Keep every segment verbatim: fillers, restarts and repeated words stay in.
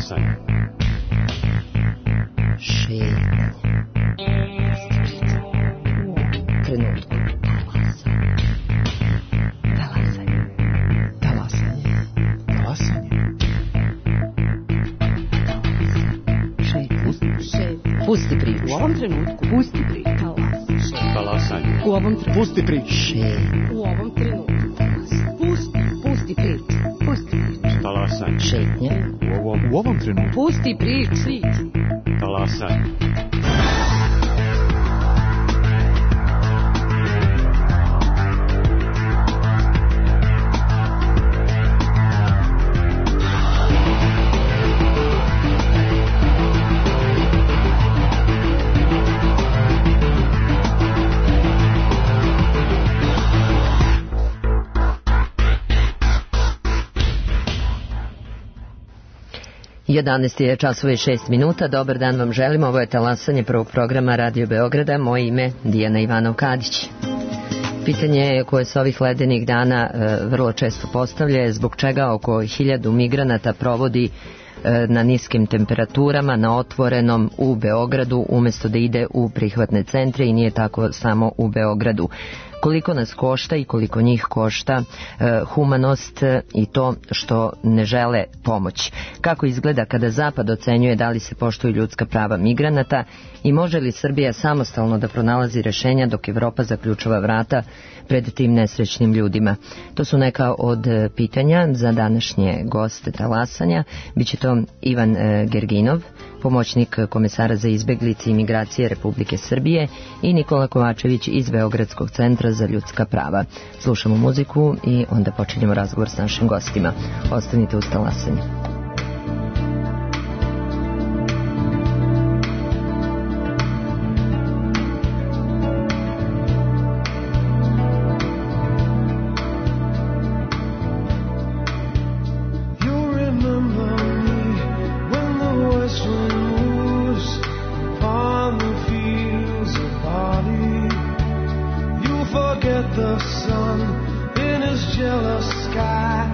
Talasanje. Šetnje. Trenutku. Talasanje. Talasanje. Talasanje. Pusti priču. U ovom trenutku. Pusti priču. Talasanje. U ovom trenutku. Pusti priču. Šetnje. U ovom trenutku. Pusti. Pusti priču. Pusti priču. Talasanje. Šetnje. U ovom, U ovom trenutku. Pusti priču. talasanje. jedanaest je časova i šest minuta. Dobar dan vam želim. Ovo je talasanje prvog programa Radio Beograda. Moje ime Dijana Ivanov-Kadić. Pitanje koje se ovih ledenih dana e, vrlo često postavlja je zbog čega oko hiljadu migranata provodi e, na niskim temperaturama, na otvorenom u Beogradu, umjesto da ide u prihvatne centre, i nije tako samo u Beogradu. Koliko nas košta i koliko njih košta e, humanost e, i to što ne žele pomoć. Kako izgleda kada Zapad ocenjuje da li se poštuju ljudska prava migranata i može li Srbija samostalno da pronalazi rešenja dok Evropa zaključava vrata pred tim nesrećnim ljudima. To su neka od pitanja za današnje goste talasanja. Biće to Ivan e, Gerginov, pomoćnik komesara za izbeglice i migracije Republike Srbije, i Nikola Kovačević iz Beogradskog centra za ljudska prava. Slušamo muziku i onda počinjemo razgovor s našim gostima. Ostanite uz talasanje. Jealous sky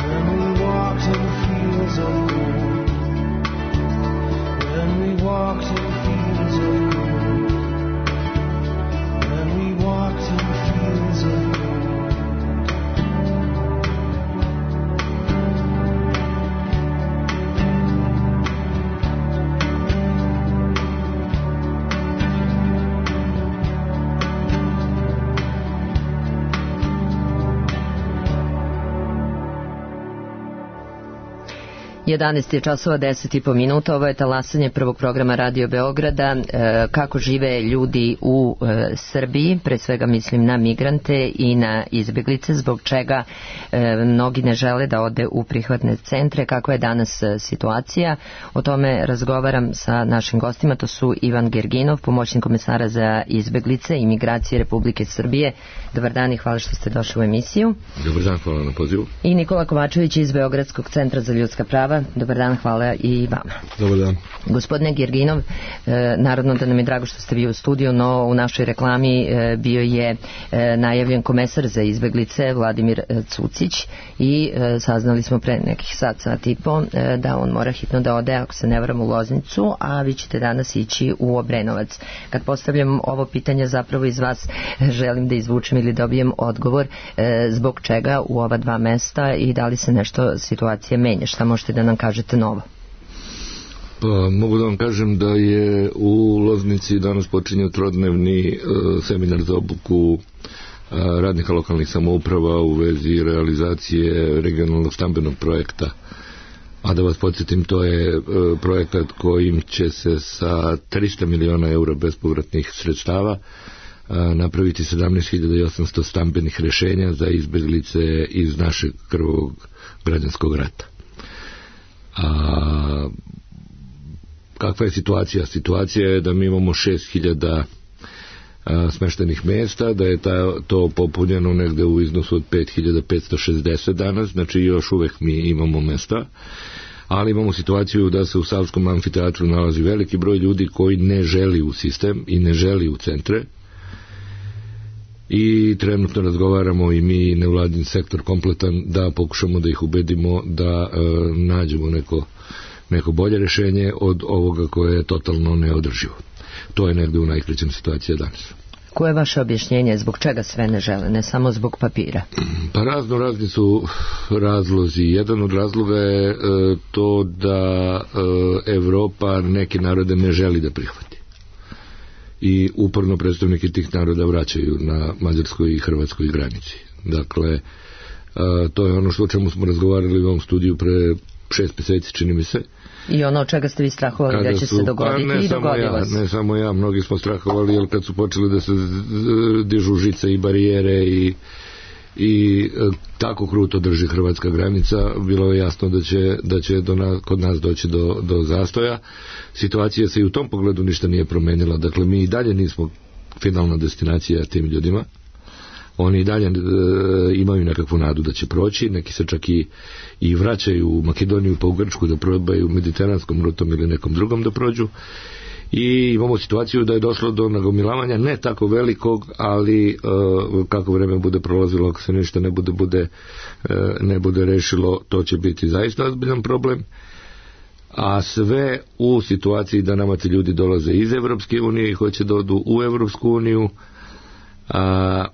when we walked in fields of gold. jedanaest je časova, deset i po minuta. Ovo je talasanje prvog programa Radio Beograda. E, kako žive ljudi u e, Srbiji, pre svega mislim na migrante i na izbeglice, zbog čega e, mnogi ne žele da ode u prihvatne centre, kakva je danas e, situacija. O tome razgovaram sa našim gostima, to su Ivan Gerginov, pomoćnik komesara za izbeglice i migracije Republike Srbije. Dobar dan i hvala što ste došli u emisiju. Dobar dan, hvala na pozivu. I Nikola Kovačević iz Beogradskog centra za ljudska prava. Dobar dan, hvala i vama. Dobar dan. Gospodine Gerginov, e, naravno da nam je drago što ste vi u studiju, no u našoj reklami e, bio je e, najavljen komesar za izbeglice Vladimir Cucić i e, saznali smo pre nekih sat, sat i po e, da on mora hitno da ode, ako se ne varam, u Loznicu, a vi ćete danas ići u Obrenovac. Kad postavljam ovo pitanje, zapravo iz vas želim da izvučem ili dobijem odgovor e, zbog čega u ova dva mesta i da li se nešto situacija menja. Šta možete da nam kažete novo? Pa, mogu da vam kažem da je u Loznici danas počinje trodnevni e, seminar za obuku e, radnika lokalnih samouprava u vezi realizacije regionalnog stambenog projekta. A da vas podsjetim, to je e, projekat kojim će se sa trista miliona eura bespovratnih sredstava e, napraviti sedamnaest hiljada osamsto stambenih rešenja za izbeglice iz našeg krvog građanskog rata. A kakva je situacija? Situacija je da mi imamo šest hiljada smeštenih mesta, da je ta, to popunjeno negde u iznosu od pet hiljada petsto šezdeset danas, znači još uvek mi imamo mesta, ali imamo situaciju da se u Savskom amfiteatru nalazi veliki broj ljudi koji ne želi u sistem i ne želi u centre. I trenutno razgovaramo i mi nevladin sektor kompletan da pokušamo da ih ubedimo da e, nađemo neko, neko bolje rešenje od ovoga koje je totalno neodrživo. To je negde u najkraćem situacija danas. Koje je vaše objašnjenje zbog čega sve ne žele, ne samo zbog papira? Pa razno razni su razlozi. Jedan od razloga je e, to da e, Evropa neke narode ne želi da prihvati. I uporno predstavniki tih naroda vraćaju na mađarskoj i hrvatskoj granici. Dakle, a, to je ono što o čemu smo razgovarali u ovom studiju pre šest meseci, čini mi se. I ono od čega ste vi strahovali da će su, se dogoditi pa i dogodilo ja, se. Ne samo ja, mnogi smo strahovali, jer kad su počeli da se dižu žice i barijere i i e, tako kruto drži hrvatska granica, bilo je jasno da će, da će do nas, kod nas doći do, do zastoja. Situacija se i u tom pogledu ništa nije promenila. Dakle, mi i dalje nismo finalna destinacija tim ljudima. Oni i dalje e, imaju nekakvu nadu da će proći, neki se čak i, i vraćaju u Makedoniju pa u Grčku da probaju mediteranskom rutom ili nekom drugom da prođu. I imamo situaciju da je došlo do nagomilavanja ne tako velikog, ali uh, kako vreme bude prolazilo, ako se ništa ne bude, bude uh, ne bude rešilo, to će biti zaista ozbiljan problem. A sve u situaciji da nama ti ljudi dolaze iz Evropske unije i hoće da odu u Evropsku uniju, a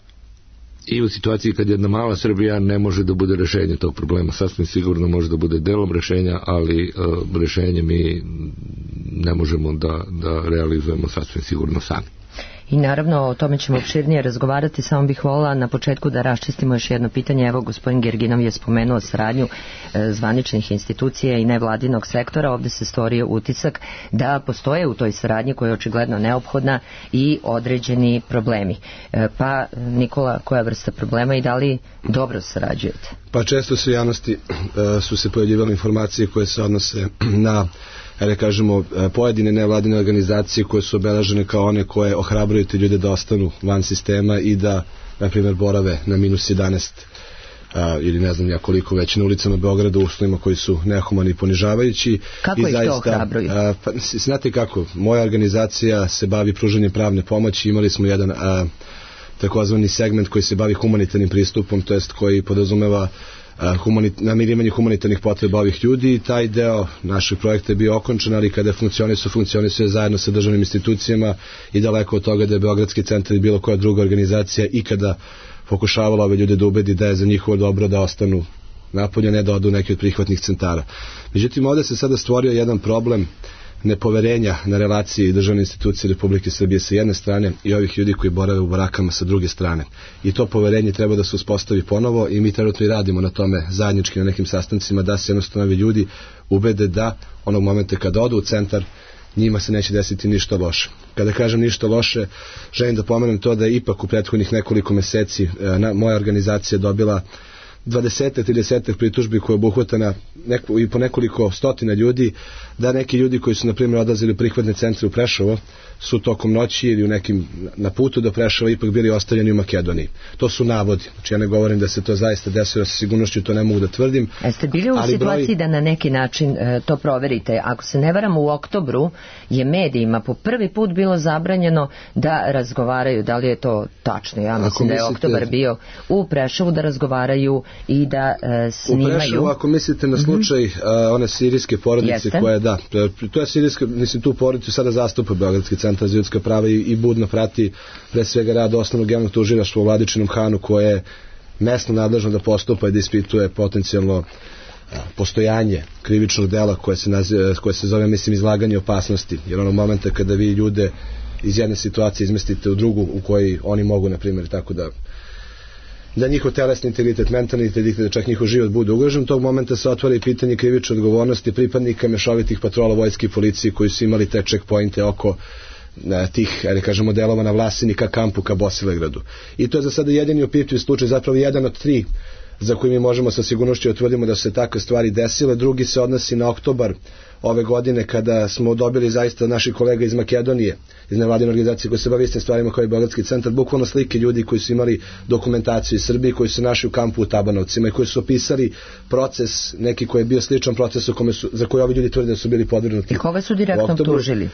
i u situaciji kad jedna mala Srbija ne može da bude rešenje tog problema. Sasvim sigurno može da bude delom rešenja, ali uh, rešenje mi ne možemo da, da realizujemo sasvim sigurno sami. I naravno o tome ćemo opširnije razgovarati, samo bih volila na početku da raščistimo još jedno pitanje. Evo, gospodin Gerginov je spomenuo saradnju e, zvaničnih institucija i nevladinog sektora. Ovde se stvorio utisak da postoje u toj saradnji, koja je očigledno neophodna, i određeni problemi. E, pa, Nikola, koja vrsta problema i da li dobro sarađujete? Pa često se u javnosti e, su se pojavljivale informacije koje se odnose na, da kažemo, pojedine nevladine organizacije koje su obeležene kao one koje ohrabruju te ljude da ostanu van sistema i da, na primjer, borave na minus jedanaest a, ili ne znam ja koliko već na ulicama Beograda u uslovima koji su nehumani i ponižavajući. Kako I ih zaista, to ohrabruju? A, pa, znate kako, moja organizacija se bavi pružanjem pravne pomoći. Imali smo jedan a, takozvani segment koji se bavi humanitarnim pristupom, to jest koji podrazumeva namirivanje humanitarnih potreba ovih ljudi i taj deo našeg projekta je bio okončan, ali kada je funkcionisao, funkcionisao je zajedno sa državnim institucijama i daleko od toga da je Beogradski centar i bilo koja druga organizacija ikada pokušavala ove ljude da ubedi da je za njihovo dobro da ostanu napolje, ne da odu neki od prihvatnih centara. Međutim, ovde se sada stvorio jedan problem nepoverenja na relaciji državne institucije Republike Srbije sa jedne strane i ovih ljudi koji borave u barakama sa druge strane. I to poverenje treba da se uspostavi ponovo i mi trenutno i radimo na tome zajednički na nekim sastancima da se jednostavno ovi ljudi ubede da onog momenta kada odu u centar njima se neće desiti ništa loše. Kada kažem ništa loše, želim da pomenem to da je ipak u prethodnih nekoliko meseci na, moja organizacija dobila dvadeset trideset pritužbi koje je obuhvatana neko, i po nekoliko stotina ljudi, da neki ljudi koji su na primjer odlazili u prihvatne centre u Preševo su tokom noći ili u nekim na putu do Preševa ipak bili ostavljeni u Makedoniji. To su navodi. Znači ja ne govorim da se to zaista desilo sa sigurnošću, to ne mogu da tvrdim. A ste bili u situaciji broj... da na neki način e, to proverite? Ako se ne varam, u oktobru je medijima po prvi put bilo zabranjeno da razgovaraju, da li je to tačno? Ja mislim mislite... da je oktobar bio u Preševu da razgovaraju i da e, snimaju. U Preševu, ako mislite na slučaj mm-hmm. a, one sirijske porodice Jeste. koja da, to je sirijska, mislim tu porodicu sada zastupa Beogradski centar za ljudska prava i, i budno prati pre svega rad osnovnog javnog tužilaštva u Vladičinom Hanu koje je mesno nadležno da postupa i da ispituje potencijalno a, postojanje krivičnog dela koje se, naziva, koje se zove mislim izlaganje opasnosti, jer onog momenta kada vi ljude iz jedne situacije izmestite u drugu u kojoj oni mogu na primjer tako da da njihov telesni integritet, mentalni integritet, da čak njihov život bude ugrožen, tog momenta se otvara i pitanje krivične odgovornosti pripadnika mešovitih patrola vojske i policije koji su imali te checkpointe oko ne, tih, ali kažemo, delova na Vlasini ka kampu, ka Bosilegradu. I to je za sada jedini opipljiv slučaj, zapravo jedan od tri za koji mi možemo sa sigurnošću utvrdimo da su se takve stvari desile. Drugi se odnosi na oktobar ove godine kada smo dobili zaista naših kolega iz Makedonije, iz nevladine organizacije koje se bave istim stvarima kao i Beogradski centar, bukvalno slike ljudi koji su imali dokumentaciju iz Srbije, koji su našli u kampu u Tabanovcima i koji su opisali proces, neki koji je bio sličan procesu kome su, za koji ovi ljudi tvrde da su bili podvrgnuti. I koga su direktno optužili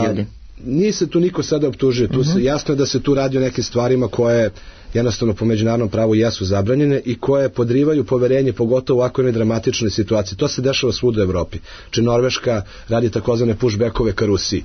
ljudi? Nije se tu niko sada optužio, tu uh-huh. se, jasno je da se tu radi o nekim stvarima koje jednostavno po međunarodnom pravu jesu zabranjene i koje podrivaju poverenje, pogotovo u ovakvoj jednoj dramatičnoj situaciji. To se dešava svuda u Evropi. Či Norveška radi takozvane pushbackove ka Rusiji.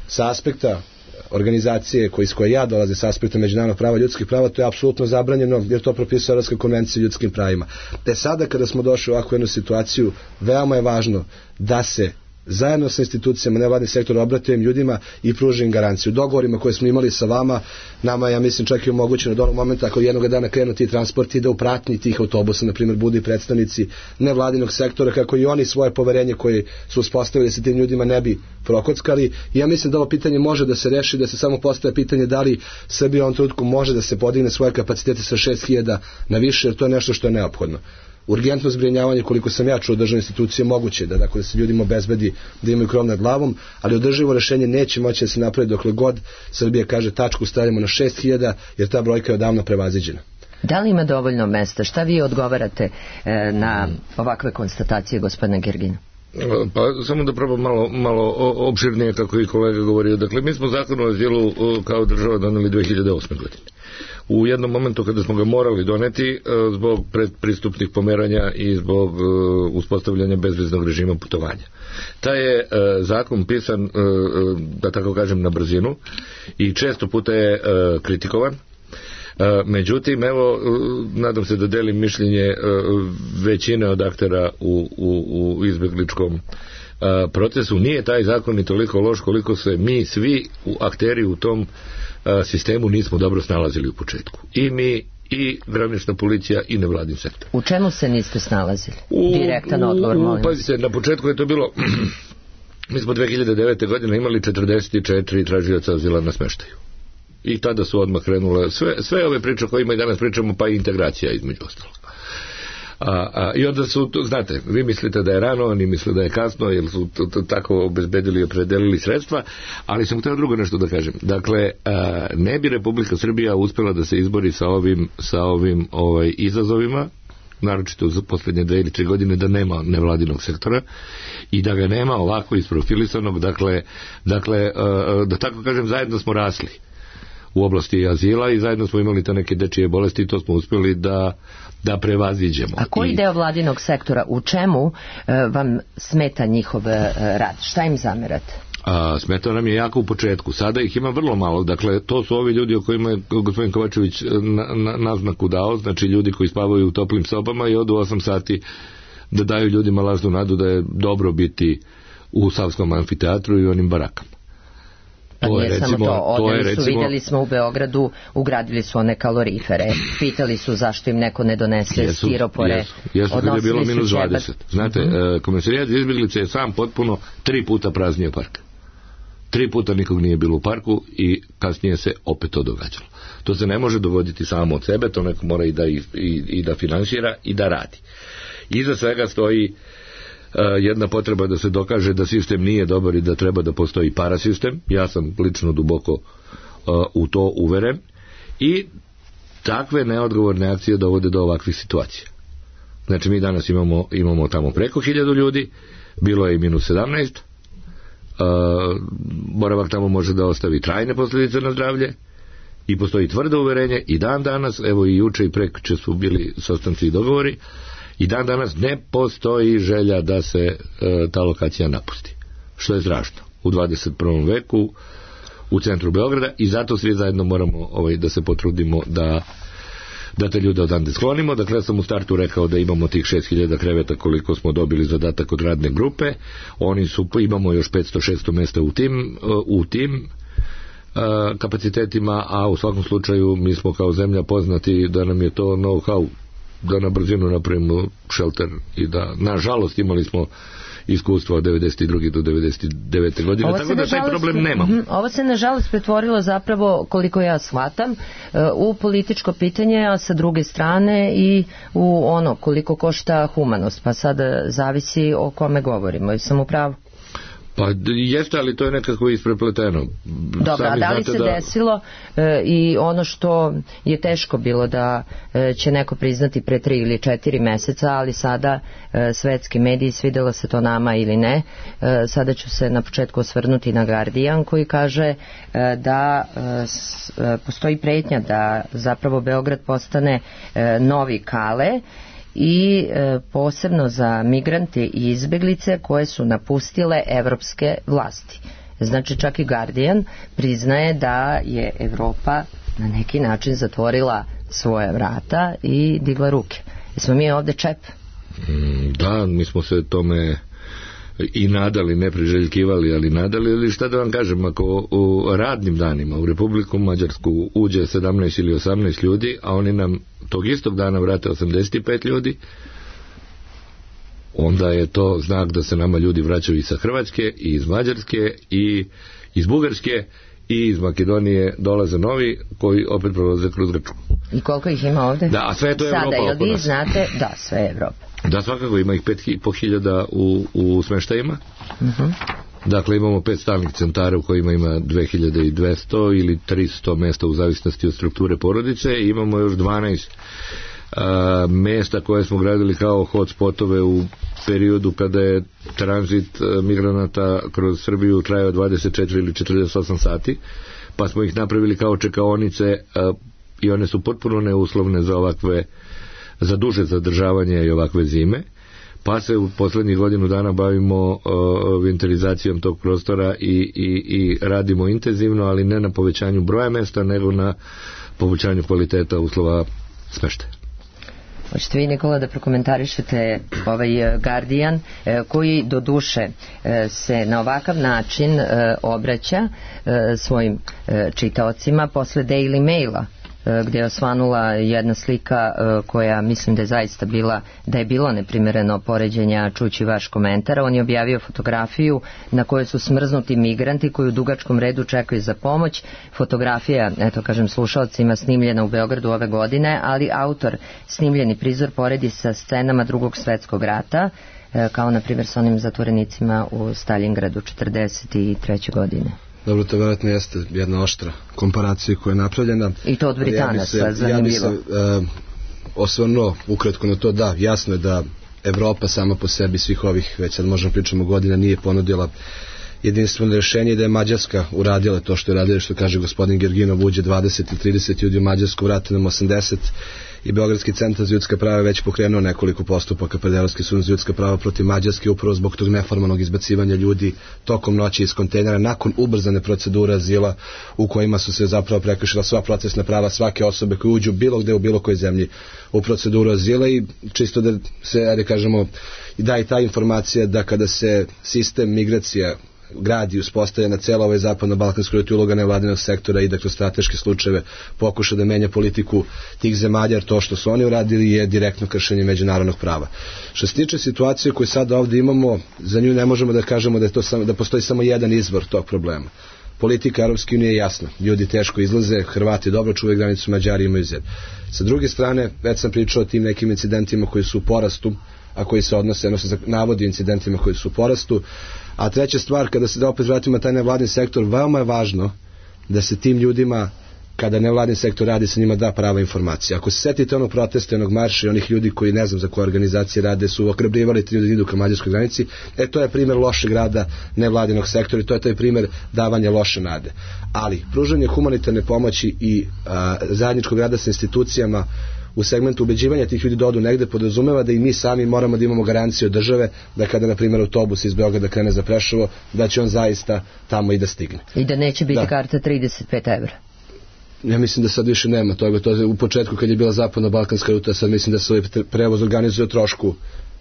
Sa aspekta organizacije koji, iz koje ja dolaze, sa aspekta međunarodnog prava ljudskih prava, to je apsolutno zabranjeno jer to propisuje Evropska konvencija o ljudskim pravima. Te sada kada smo došli u ovakvu jednu situaciju, veoma je važno da se zajedno sa institucijama nevladni sektor obrate im ljudima i pruži im garanciju. Dogovorima koje smo imali sa vama, nama ja mislim čak i omogućeno do onog momenta ako jednog dana krenu ti transporti da u pratnji tih autobusa na primjer budu i predstavnici nevladinog sektora kako i oni svoje poverenje koje su uspostavili sa tim ljudima ne bi prokockali. I ja mislim da ovo pitanje može da se reši, da se samo postaje pitanje da li Srbija u ovom trenutku može da se podigne svoje kapacitete sa šest hiljada na više, jer to je nešto što je neophodno. Urgentno zbrinjavanje, koliko sam ja čuo državne institucije, moguće da, dakle, da se ljudima obezbedi da imaju krov nad glavom, ali održivo rešenje neće moći da se napravi dokle god Srbija kaže tačku stavljamo na šest hiljada, jer ta brojka je odavno prevaziđena. Da li ima dovoljno mesta? Šta vi odgovarate e, na ovakve konstatacije gospodina Gergina? Pa samo da probam malo, malo opširnije kako i kolega govorio. Dakle, mi smo zakon o azilu kao država doneli dve hiljade osme. godine. U jednom momentu kada smo ga morali doneti zbog predpristupnih pomeranja i zbog uspostavljanja bezviznog režima putovanja. Taj je zakon pisan, da tako kažem, na brzinu i često puta je kritikovan. Međutim, evo, nadam se da delim mišljenje većine od aktera u, u, u izbjegličkom procesu. Nije taj zakon ni toliko loš koliko se mi svi u akteri u tom sistemu nismo dobro snalazili u početku. I mi, i granična policija, i nevladin sektor. U čemu se niste snalazili? Direktan odgovor, molim. Pazite, na početku je to bilo mi smo dve hiljade devete. godine imali četrdeset četiri tražioca azila na smeštaju. I tada su odmah krenule sve, sve ove priče koje ima i danas pričamo, pa i integracija između ostalog. A, a, I onda su, znate, vi mislite da je rano, oni misle da je kasno, jer su to, to, tako obezbedili i opredelili sredstva, ali sam htio drugo nešto da kažem. Dakle, a, ne bi Republika Srbija uspjela da se izbori sa ovim, sa ovim ovaj, izazovima, naročito za posljednje dve ili tri godine, da nema nevladinog sektora i da ga nema ovako isprofilisanog, dakle, dakle a, da tako kažem, zajedno smo rasli. u oblasti azila i zajedno smo imali te neke dečije bolesti i to smo uspjeli da, da prevaziđemo. A koji I, deo vladinog sektora, u čemu e, vam smeta njihov e, rad? Šta im zamerate? A, smetao nam je jako u početku, sada ih ima vrlo malo, dakle to su ovi ljudi o kojima je gospodin Kovačević na, na, naznaku dao, znači ljudi koji spavaju u toplim sobama i odu osam sati da daju ljudima lažnu nadu da je dobro biti u Savskom amfiteatru i onim barakama. Pa to nije je, recimo, samo to, odeli to je, su, recimo, vidjeli smo u Beogradu, ugradili su one kalorifere, pitali su zašto im neko ne donese jesu, stiropore, jesu, jesu, kad je bilo minus dvadeset. Znate, mm-hmm. Komesarijat za izbjeglice je sam potpuno tri puta praznio park. Tri puta nikog nije bilo u parku i kasnije se opet to događalo. To se ne može dogoditi samo od sebe, to neko mora i da, i, i, i da finansira i da radi. Iza svega stoji Uh, jedna potreba da se dokaže da sistem nije dobar i da treba da postoji parasistem. Ja sam lično duboko uh, u to uveren i takve neodgovorne akcije dovode do ovakvih situacija. Znači mi danas imamo, imamo tamo preko hiljadu ljudi, bilo je i minus sedamnaest, uh, boravak tamo može da ostavi trajne posljedice na zdravlje i postoji tvrdo uverenje i dan danas, evo i juče i prekjuče su bili sastanci i dogovori, i dan danas ne postoji želja da se e, ta lokacija napusti. Što je strašno. U dvadeset prvom veku u centru Beograda i zato svi zajedno moramo ovaj, da se potrudimo da, da te ljude odande sklonimo. Dakle, ja sam u startu rekao da imamo tih šest hiljada kreveta koliko smo dobili zadatak od radne grupe. Oni su, imamo još petsto šesto mesta u tim, u tim uh, kapacitetima, a u svakom slučaju mi smo kao zemlja poznati da nam je to know-how da na brzinu napravimo šelter i da, nažalost, imali smo iskustvo od devedeset druge do devedeset devete godine, ovo tako da taj problem nemamo. Ovo se nažalost pretvorilo zapravo, koliko ja shvatam, u političko pitanje, a sa druge strane i u ono koliko košta humanost, pa sada zavisi o kome govorimo. Jesam u pravu? Pa jeste, ali to je nekako isprepleteno. Dobro, a da li se da... desilo e, i ono što je teško bilo da e, će neko priznati pre tri ili četiri meseca, ali sada e, svetski mediji, svidelo se to nama ili ne, e, sada ću se na početku osvrnuti na Guardian koji kaže e, da e, s, e, postoji pretnja da zapravo Beograd postane e, novi Kale i e, posebno za migrante i izbeglice koje su napustile evropske vlasti. Znači čak i Guardian priznaje da je Evropa na neki način zatvorila svoje vrata i digla ruke. Jesmo mi ovde čep? Da, mi smo se tome i nadali, ne priželjkivali, ali nadali, ali šta da vam kažem, ako u radnim danima u Republiku Mađarsku uđe sedamnaest ili osamnaest ljudi, a oni nam tog istog dana vrate osamdeset pet ljudi, onda je to znak da se nama ljudi vraćaju i sa Hrvatske, i iz Mađarske, i iz Bugarske, i iz Makedonije dolaze novi koji opet prolaze kroz Grčku. I koliko ih ima ovde? Da, a sve je to Evropa oko nas. Sada, jel vi znate? Da, sve je Evropa. Da, svakako ima ih pet i po hiljada u, u smeštajima. Uh-huh. Dakle, imamo pet stalnih centara u kojima ima dve hiljade dvesta ili tristo mesta u zavisnosti od strukture porodice i imamo još dvanaest a, mesta koje smo gradili kao hotspotove u periodu kada je tranzit a, migranata kroz Srbiju trajao dvadeset četiri ili četrdeset osam sati, pa smo ih napravili kao čekaonice a, i one su potpuno neuslovne za ovakve za duže zadržavanje i ovakve zime, pa se u poslednjih godinu dana bavimo uh, vinterizacijom tog prostora i, i, i radimo intenzivno, ali ne na povećanju broja mesta, nego na povećanju kvaliteta uslova smeštaja. Hoćete vi, Nikola, da prokomentarišete ovaj Guardian, koji do duše se na ovakav način obraća svojim čitaocima posle Daily Maila, gdje je osvanula jedna slika koja mislim da je zaista bila, da je bilo neprimereno poređenja čući vaš komentar. On je objavio fotografiju na kojoj su smrznuti migranti koji u dugačkom redu čekaju za pomoć. Fotografija, eto kažem slušalcima, snimljena u Beogradu ove godine, ali autor snimljeni prizor poredi sa scenama Drugog svetskog rata, kao na primjer s onim zatvorenicima u Stalingradu četrdeset treće godine. Dobro, to vjerojatno jeste jedna oštra komparacija koja je napravljena. I to od Britanaca, ja zanimljivo. Ja bi se uh, osvrnuo ukratko na to, da, jasno je da Evropa sama po sebi svih ovih, već sad možemo pričamo godina, nije ponudila jedinstveno rješenje, da je Mađarska uradila to što je radila, što kaže gospodin Gerginov, uđe dvadeset i trideset ljudi u Mađarsku, vrati nam osamdeset, i Beogradski centar za ljudska prava je već pokrenuo nekoliko postupaka pred Evropski sud za ljudska prava protiv Mađarske upravo zbog tog neformalnog izbacivanja ljudi tokom noći iz kontejnera nakon ubrzane procedure azila u kojima su se zapravo prekršila sva procesna prava svake osobe koje uđu bilo gde u bilo kojoj zemlji u proceduru azila. I čisto da se, ajde kažemo, da i ta informacija da kada se sistem migracija gradi i uspostavlja na celo ovoj zapadno-balkanskoj ruti, uloga nevladinog sektora i da kroz strateške slučajeve pokuša da menja politiku tih zemalja, jer to što su oni uradili je direktno kršenje međunarodnog prava. Što se tiče situacije koju sada ovdje imamo, za nju ne možemo da kažemo da, je to samo, da postoji samo jedan izvor tog problema. Politika Europske unije je jasna. Ljudi teško izlaze, Hrvati dobro čuvaju granicu, Mađari imaju zid. Sa druge strane, već sam pričao o tim nekim incidentima koji su u porastu, a koji se odnose, odnosno navodi incidentima koji su u porastu. A treća stvar, kada se da opet vratimo taj nevladin sektor, veoma je važno da se tim ljudima, kada nevladin sektor radi, sa njima da prava informacija. Ako se setite onog protesta, onog marša i onih ljudi koji ne znam za koje organizacije rade, su okrebrivali ti ljudi da idu ka mađarskoj granici, e to je primjer lošeg rada nevladinog sektora i to je taj primjer davanja loše nade. Ali pružanje humanitarne pomoći i a, zajedničkog rada sa institucijama u segmentu ubeđivanja tih ljudi da odu negde podrazumeva da i mi sami moramo da imamo garanciju od države da kada, na primjer, autobus iz Beograda krene za Preševo, da će on zaista tamo i da stigne. I da neće biti da. karta trideset pet evra. Ja mislim da sad više nema toga. To je u početku kad je bila zapadno-balkanska ruta, sad mislim da se ovaj prevoz organizuje o trošku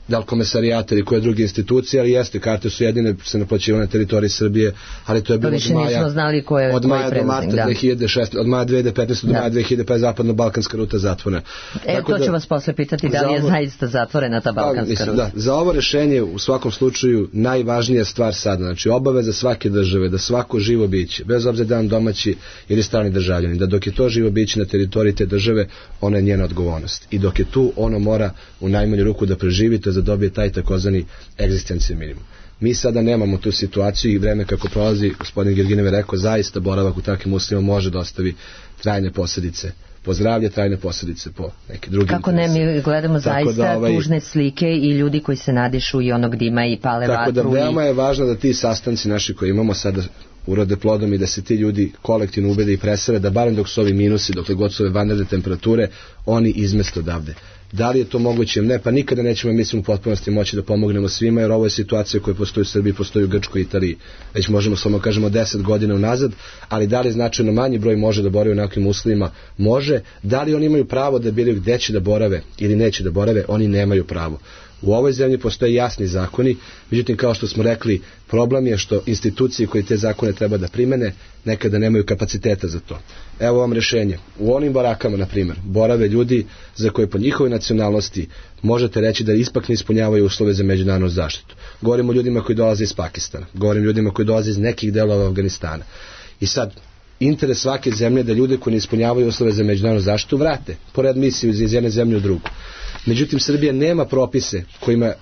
da li komesarijata ili koje druge institucije, ali jeste, karte su jedine se naplaćivane na teritoriji Srbije, ali to je bilo od maja, znali koje, od maja do marta da. dve hiljade šesnaeste, od maja dve hiljade petnaeste do da. maja dve hiljade pedeset zapadno-balkanska ruta zatvorena. E, Tako to da, ću vas posle pitati, da li je ovo, zaista zatvorena ta balkanska mislim, ruta. Da, za ovo rešenje u svakom slučaju najvažnija stvar sada, znači obaveza svake države da svako živo biće, bez obzira da je domaći ili strani državljanin, da dok je to živo biće na teritoriji te države, ona je njena odgovornost. I dok je tu, ono mora u najmanju ruku da preživi, to da dobije taj takozvani egzistencijni minimum. Mi sada nemamo tu situaciju i vreme kako prolazi, gospodin Gerginev je rekao, zaista boravak u takvim uslovima može da ostavi trajne posljedice po zdravlje, trajne posljedice po neke druge. Kako ne, mi gledamo zaista da, ovaj, tužne slike i ljudi koji se nadišu i onog dima i pale tako vatru. Tako da veoma i... je važno da ti sastanci naši koji imamo sada urode plodom i da se ti ljudi kolektivno ubede i presele, da barem dok su ovi minusi, dokle god su ove vanredne temperature, oni izmeste odavde. Da li je to moguće? Ne, pa nikada nećemo, mislim, u potpunosti moći da pomognemo svima, jer ovo je situacija koja postoji u Srbiji, postoji u Grčkoj i Italiji. Već možemo samo kažemo deset godina unazad, ali da li značajno manji broj može da boravi u nekim uslovima? Može. Da li oni imaju pravo da biraju gde će da borave ili neće da borave? Oni nemaju pravo. U ovoj zemlji postoje jasni zakoni, međutim, kao što smo rekli, problem je što institucije koje te zakone treba da primene nekada nemaju kapaciteta za to. Evo vam rešenje. U onim barakama, na primjer, borave ljudi za koje po njihovoj nacionalnosti možete reći da ispak ne ispunjavaju uslove za međunarodnu zaštitu. Govorimo o ljudima koji dolaze iz Pakistana, govorimo o ljudima koji dolaze iz nekih delova Afganistana. I sad, interes svake zemlje da ljude koji ne ispunjavaju uslove za međunarodnu zaštitu vrate, pored misiju iz jedne zemlje u drugu. Međutim, Srbija nema propise kojima e,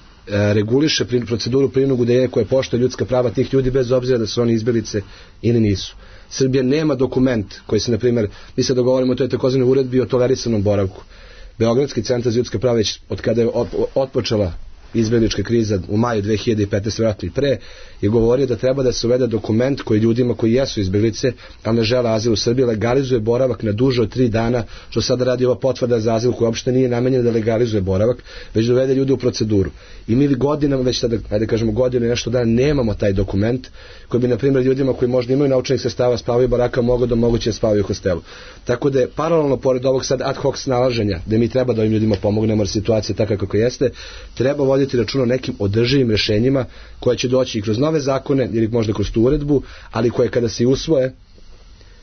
reguliše proceduru prinudnog udeljenja koje poštuje ljudska prava tih ljudi bez obzira da su oni izbjeglice ili nisu. Srbija nema dokument koji se, na primjer, mi se dogovorimo o toj takozvanoj uredbi o tolerisanom boravku. Beogradski centar za ljudska prava već od kada je otpočela izbjeglička kriza u maju dve hiljade petnaeste vjerojatno i pre, je govorio da treba da se uvede dokument koji ljudima koji jesu izbjeglice, ali ne žele azil u Srbiji, legalizuje boravak na duže od tri dana, što sada radi ova potvrda za azil koja uopšte nije namenjena da legalizuje boravak, već da uvede ljude u proceduru. I mi godinama, već tada, ajde kažemo godinu i nešto dana, nemamo taj dokument koji bi, na primjer, ljudima koji možda imaju naučenih sredstava spavaju baraka mogu da moguće spavaju u hostelu. Tako da je paralelno pored ovog sad ad hoc snalaženja, da mi treba da ovim ljudima pomognemo, jer situacija je takva kako jeste, treba voditi računa o nekim održivim rešenjima koje će doći i kroz nove zakone ili možda kroz tu uredbu, ali koje kada se usvoje,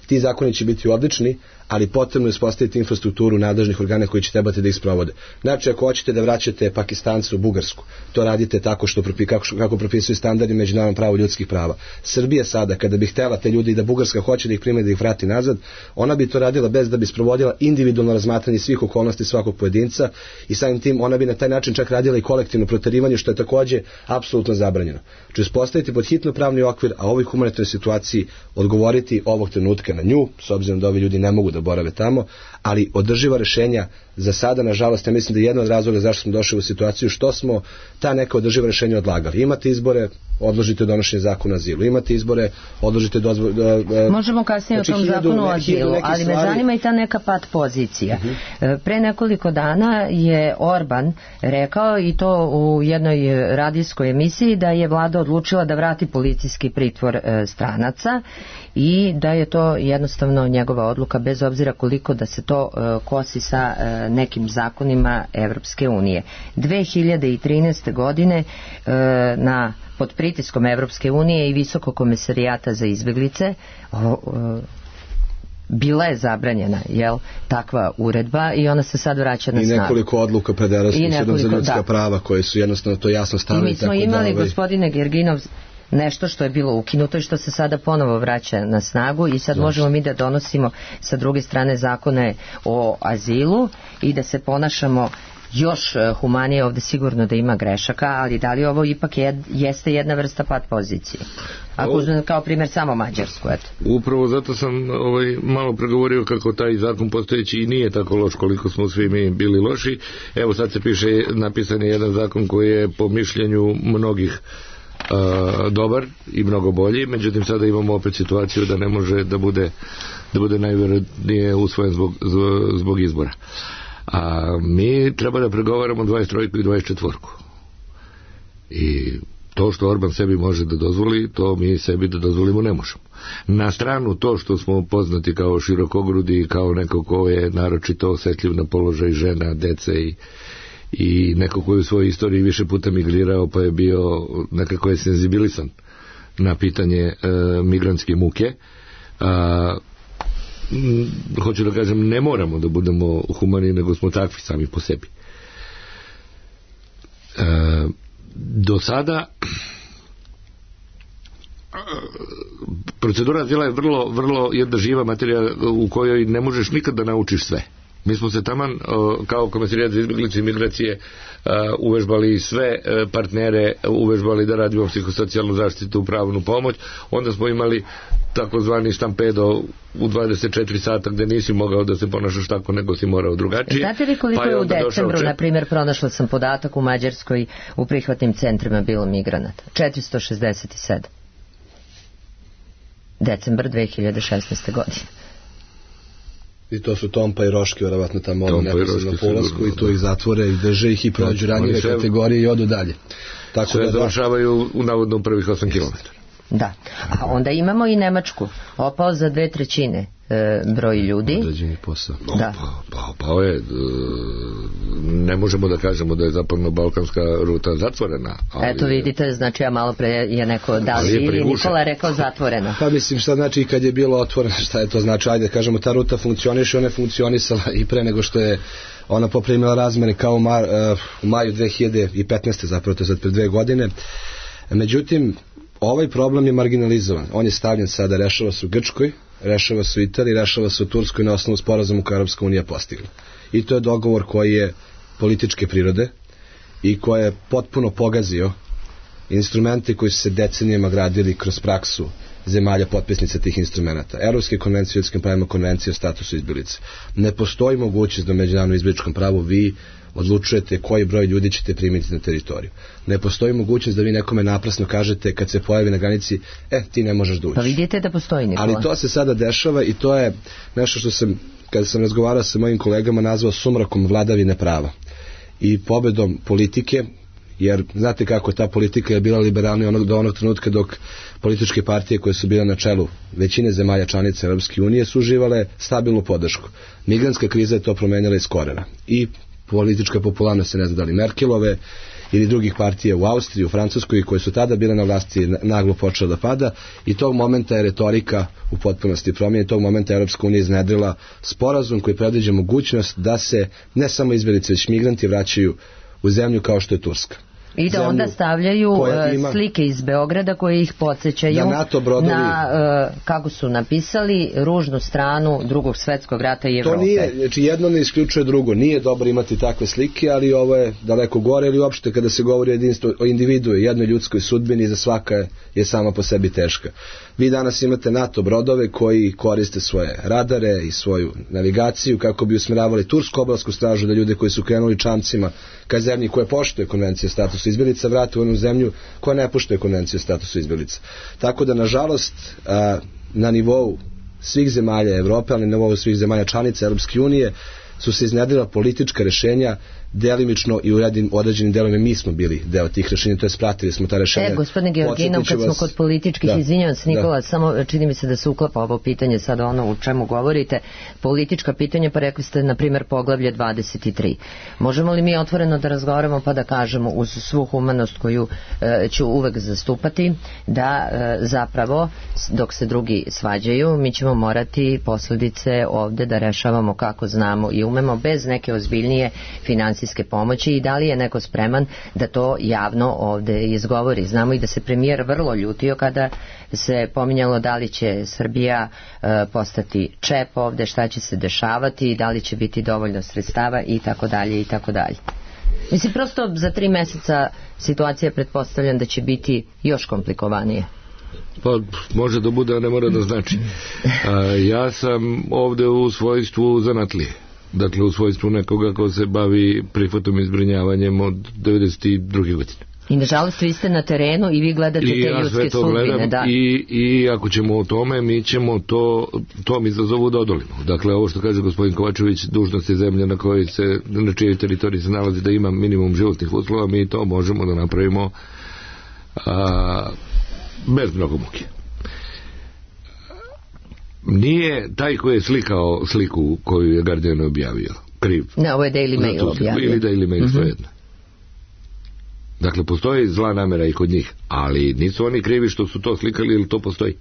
ti zakoni će biti odlični, ali potrebno je uspostaviti infrastrukturu nadležnih organa koji će trebati da ih sprovode. Znači, ako hoćete da vraćate Pakistance u Bugarsku, to radite tako što kako, kako propisuju standardi međunarodnog prava ljudskih prava. Srbija sada, kada bi htela te ljudi i da Bugarska hoće da ih prime da ih vrati nazad, ona bi to radila bez da bi sprovodila individualno razmatranje svih okolnosti svakog pojedinca i samim tim ona bi na taj način čak radila i kolektivno proterivanje, što je takođe apsolutno zabranjeno. Znači, uspostaviti pod hitno pravni okvir, a ovoj humanitarnoj situaciji odgovoriti ovog trenutka na nju, s obzirom da ovi ljudi ne mogu da borave tamo, ali održiva rešenja za sada, nažalost, ja mislim da je jedno od razloga zašto smo došli u situaciju što smo ta neka održiva rešenja odlagali. Imate izbore, odložite donošenje zakona o azilu. Imate izbore, odložite dozvol... Možemo kasnije znači, o tom zakonu o azilu, ali me zanima i ta neka pat pozicija. Uh-huh. Pre nekoliko dana je Orban rekao, i to u jednoj radijskoj emisiji, da je vlada odlučila da vrati policijski pritvor e, stranaca i da je to jednostavno njegova odluka, bez obzira koliko da se to e, kosi sa e, nekim zakonima Evropske unije. dve hiljade trinaeste. godine e, na pod pritiskom Evropske unije i Visokog komesarijata za izbeglice o, o, bila je zabranjena, jel, takva uredba i ona se sad vraća na snagu. I nekoliko odluka pred Evropskim sudom za ljudska da. prava koje su jednostavno to jasno stavili. I mi smo tako imali, da, ovaj... gospodine Gerginov, nešto što je bilo ukinuto i što se sada ponovo vraća na snagu i sad Zašto? možemo mi da donosimo sa druge strane zakone o azilu i da se ponašamo još humanije, ovde sigurno da ima grešaka, ali da li ovo ipak je, jeste jedna vrsta pat pozicije? Ako uzmem kao primjer samo Mađarsku, eto. Upravo zato sam ovaj, malo pregovorio kako taj zakon postojeći i nije tako loš koliko smo svi mi bili loši. Evo sad se piše, napisan je jedan zakon koji je po mišljenju mnogih Uh, dobar i mnogo bolji, međutim sada imamo opet situaciju da ne može da bude da bude najvjerojatnije usvojen zbog, zbog izbora. A mi treba da pregovaramo dvadeset tri i dvadeset četiri. I to što Orban sebi može da dozvoli, to mi sebi da dozvolimo ne možemo. Na stranu to što smo poznati kao širokogrudi, kao neko ko je naročito osjetljiv na položaj žena, dece i i neko koji u svojoj istoriji više puta migrirao pa je bio nekako je senzibilisan na pitanje e, migrantske muke. A, m, hoću da kažem, ne moramo da budemo humani, nego smo takvi sami po sebi. E, do sada procedura azila je vrlo, vrlo jedna živa materija u kojoj ne možeš nikad da naučiš sve. Mi smo se taman kao Komesarijat za izbeglice i migracije uvežbali sve partnere, uvežbali da radimo psihosocijalnu zaštitu, pravnu pomoć, onda smo imali takozvani stampedo u dvadeset četiri sata gde nisi mogao da se ponašaš tako, nego si morao drugačije. Znate li koliko pa je u decembru, na primjer, pronašla sam podatak u Mađarskoj u prihvatnim centrima bilo migranata? četiristo šezdeset sedam. Decembar dve hiljade šesnaeste. godine. I to su Tompa i Roške, vjerovatno tamo ono neposredno na polasku i tu ih zatvore i drže ih i prođu ranjive kategorije i odu dalje. Tako sve da završavaju u navodno prvih osam kilometara. Da, a onda imamo i Nemačku, opao za dve trećine e, broj ljudi. Određeni posao. No, da. Pa, pa, pa je, ne možemo da kažemo da je zapadno-balkanska ruta zatvorena. Ali eto vidite, znači ja malo pre je neko da ili Nikola rekao zatvorena. Pa mislim šta znači kad je bilo otvoreno, šta je to znači, ajde kažemo ta ruta funkcioniše, ona je funkcionisala i pre nego što je ona poprimila razmene kao u, mar, uh, u maju dve hiljade petnaeste. zapravo to je sad pre dve godine. Međutim, ovaj problem je marginalizovan. On je stavljen sada, rešava se u Grčkoj, rešava se u Italiji, rešava se u Turskoj na osnovu sporazuma koje Europska unija postigla. I to je dogovor koji je političke prirode i koji je potpuno pogazio instrumente koji su se decenijama gradili kroz praksu zemalja potpisnica tih instrumenta. Evropske konvencije o ljudskim pravima, konvencije o statusu izbjeglica. Ne postoji mogućnost da u međunarodnom izbjegličkom pravu vi odlučujete koji broj ljudi ćete primiti na teritoriju. Ne postoji mogućnost da vi nekome naprasno kažete kad se pojavi na granici, e, ti ne možeš da uđeš. Pa vidite da postoji, Nikola. Ali to se sada dešava i to je nešto što sam, kada sam razgovarao sa mojim kolegama, nazvao sumrakom vladavine prava i pobedom politike, jer znate kako ta politika je bila liberalna onog, do onog trenutka dok političke partije koje su bile na čelu većine zemalja članica Europske unije su uživale stabilnu podršku. Migrantska kriza je to promenila iz korena i politička popularnost se ne zna da li Merkelove ili drugih partija u Austriji, u Francuskoj koje su tada bile na vlasti naglo počela da pada i tog momenta je retorika u potpunosti promijenjena. Tog momenta Europska unija iznedrila sporazum koji predviđa mogućnost da se ne samo izbjeglice već migranti vraćaju u zemlju kao što je Turska. I da onda stavljaju ima, slike iz Beograda koje ih podsjećaju na, NATO brodovi, na uh, kako su napisali, ružnu stranu drugog svjetskog rata i Evrope. To nije, znači jedno ne isključuje drugo. Nije dobro imati takve slike, ali ovo je daleko gore, ili uopšte kada se govori o, jedinstvu, o individu, jednoj ljudskoj sudbini, za svaka je sama po sebi teška. Vi danas imate NATO brodove koji koriste svoje radare i svoju navigaciju kako bi usmjeravali tursku obalsku stražu, da ljude koji su krenuli čamcima ka zemlji koje poštuje konvencije o statusu statusu izbjeglica vrate u onu zemlju koja ne poštuje konvenciju o statusu izbjeglica. Tako da, nažalost, na nivou svih zemalja Evrope, ali na nivou svih zemalja članica Europske unije, su se iznjedrila politička rješenja, delimično i u određenim delovima mi smo bili deo tih rješenja, to je spratili smo ta rješenja. E, gospodine Georginov, kad smo kod političkih, da, izvinjavam se Nikola, da. Samo čini mi se da se uklapa ovo pitanje sada ono u čemu govorite, politička pitanja, pa rekli ste na primjer poglavlje dvadeset tri. Možemo li mi otvoreno da razgovaramo pa da kažemo uz svu humanost koju e, ću uvek zastupati, da e, zapravo dok se drugi svađaju mi ćemo morati posljedice ovde da rešavamo kako znamo i umemo bez neke ozbiljnije financijske pomoći i da li je neko spreman da to javno ovde izgovori. Znamo i da se premijer vrlo ljutio kada se pominjalo da li će Srbija e, postati čep ovde, šta će se dešavati, da li će biti dovoljno sredstava i tako dalje i tako dalje. Mislim, prosto za tri meseca situacija pretpostavljam da će biti još komplikovanije. Pa može da bude, a ne mora da znači. A, ja sam ovde u svojstvu zanatlije. Dakle, u svojstvu nekoga ko se bavi prihvatom i zbrinjavanjem od devedeset druge godine. I nažalost vi ste na terenu i vi gledate I te ja ljudske sudbine. Da. I, I ako ćemo o tome, mi ćemo to, tom izazovu da odolimo. Dakle, ovo što kaže gospodin Kovačević, dužnost je zemlja na kojoj se, na čijoj teritoriji se nalazi da ima minimum životnih uslova, mi to možemo da napravimo a, bez mnogo muke. Nije taj koji je slikao sliku koju je Guardian objavio kriv. Ne, ovo je Daily Mail objavio. Ili Daily Mail, mm-hmm. Svejedno. Dakle, postoji zla namera i kod njih, ali nisu oni krivi što su to slikali ili to postoji.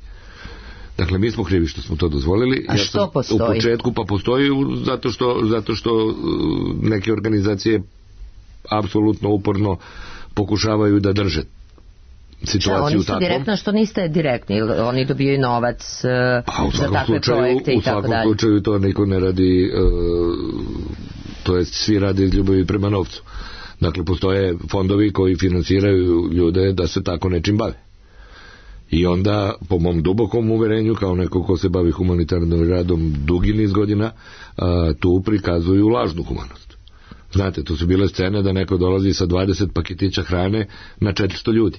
Dakle, mi smo krivi što smo to dozvolili. A ja što postoji? U početku pa postoji zato što, zato što neke organizacije apsolutno uporno pokušavaju da drže situaciju šta, oni su takvom. Direktno, što niste direktni, oni dobijaju novac uh, za takve slučaju, projekte i tako dalje. U svakom slučaju to niko ne radi, uh, to jest svi rade iz ljubavi prema novcu. Dakle, postoje fondovi koji finansiraju ljude da se tako nečim bave. I onda, po mom dubokom uverenju, kao neko ko se bavi humanitarnim radom dugi niz godina, uh, tu prikazuju lažnu humanost. Znate, to su bile scene da neko dolazi sa dvadeset paketića hrane na četiristo ljudi.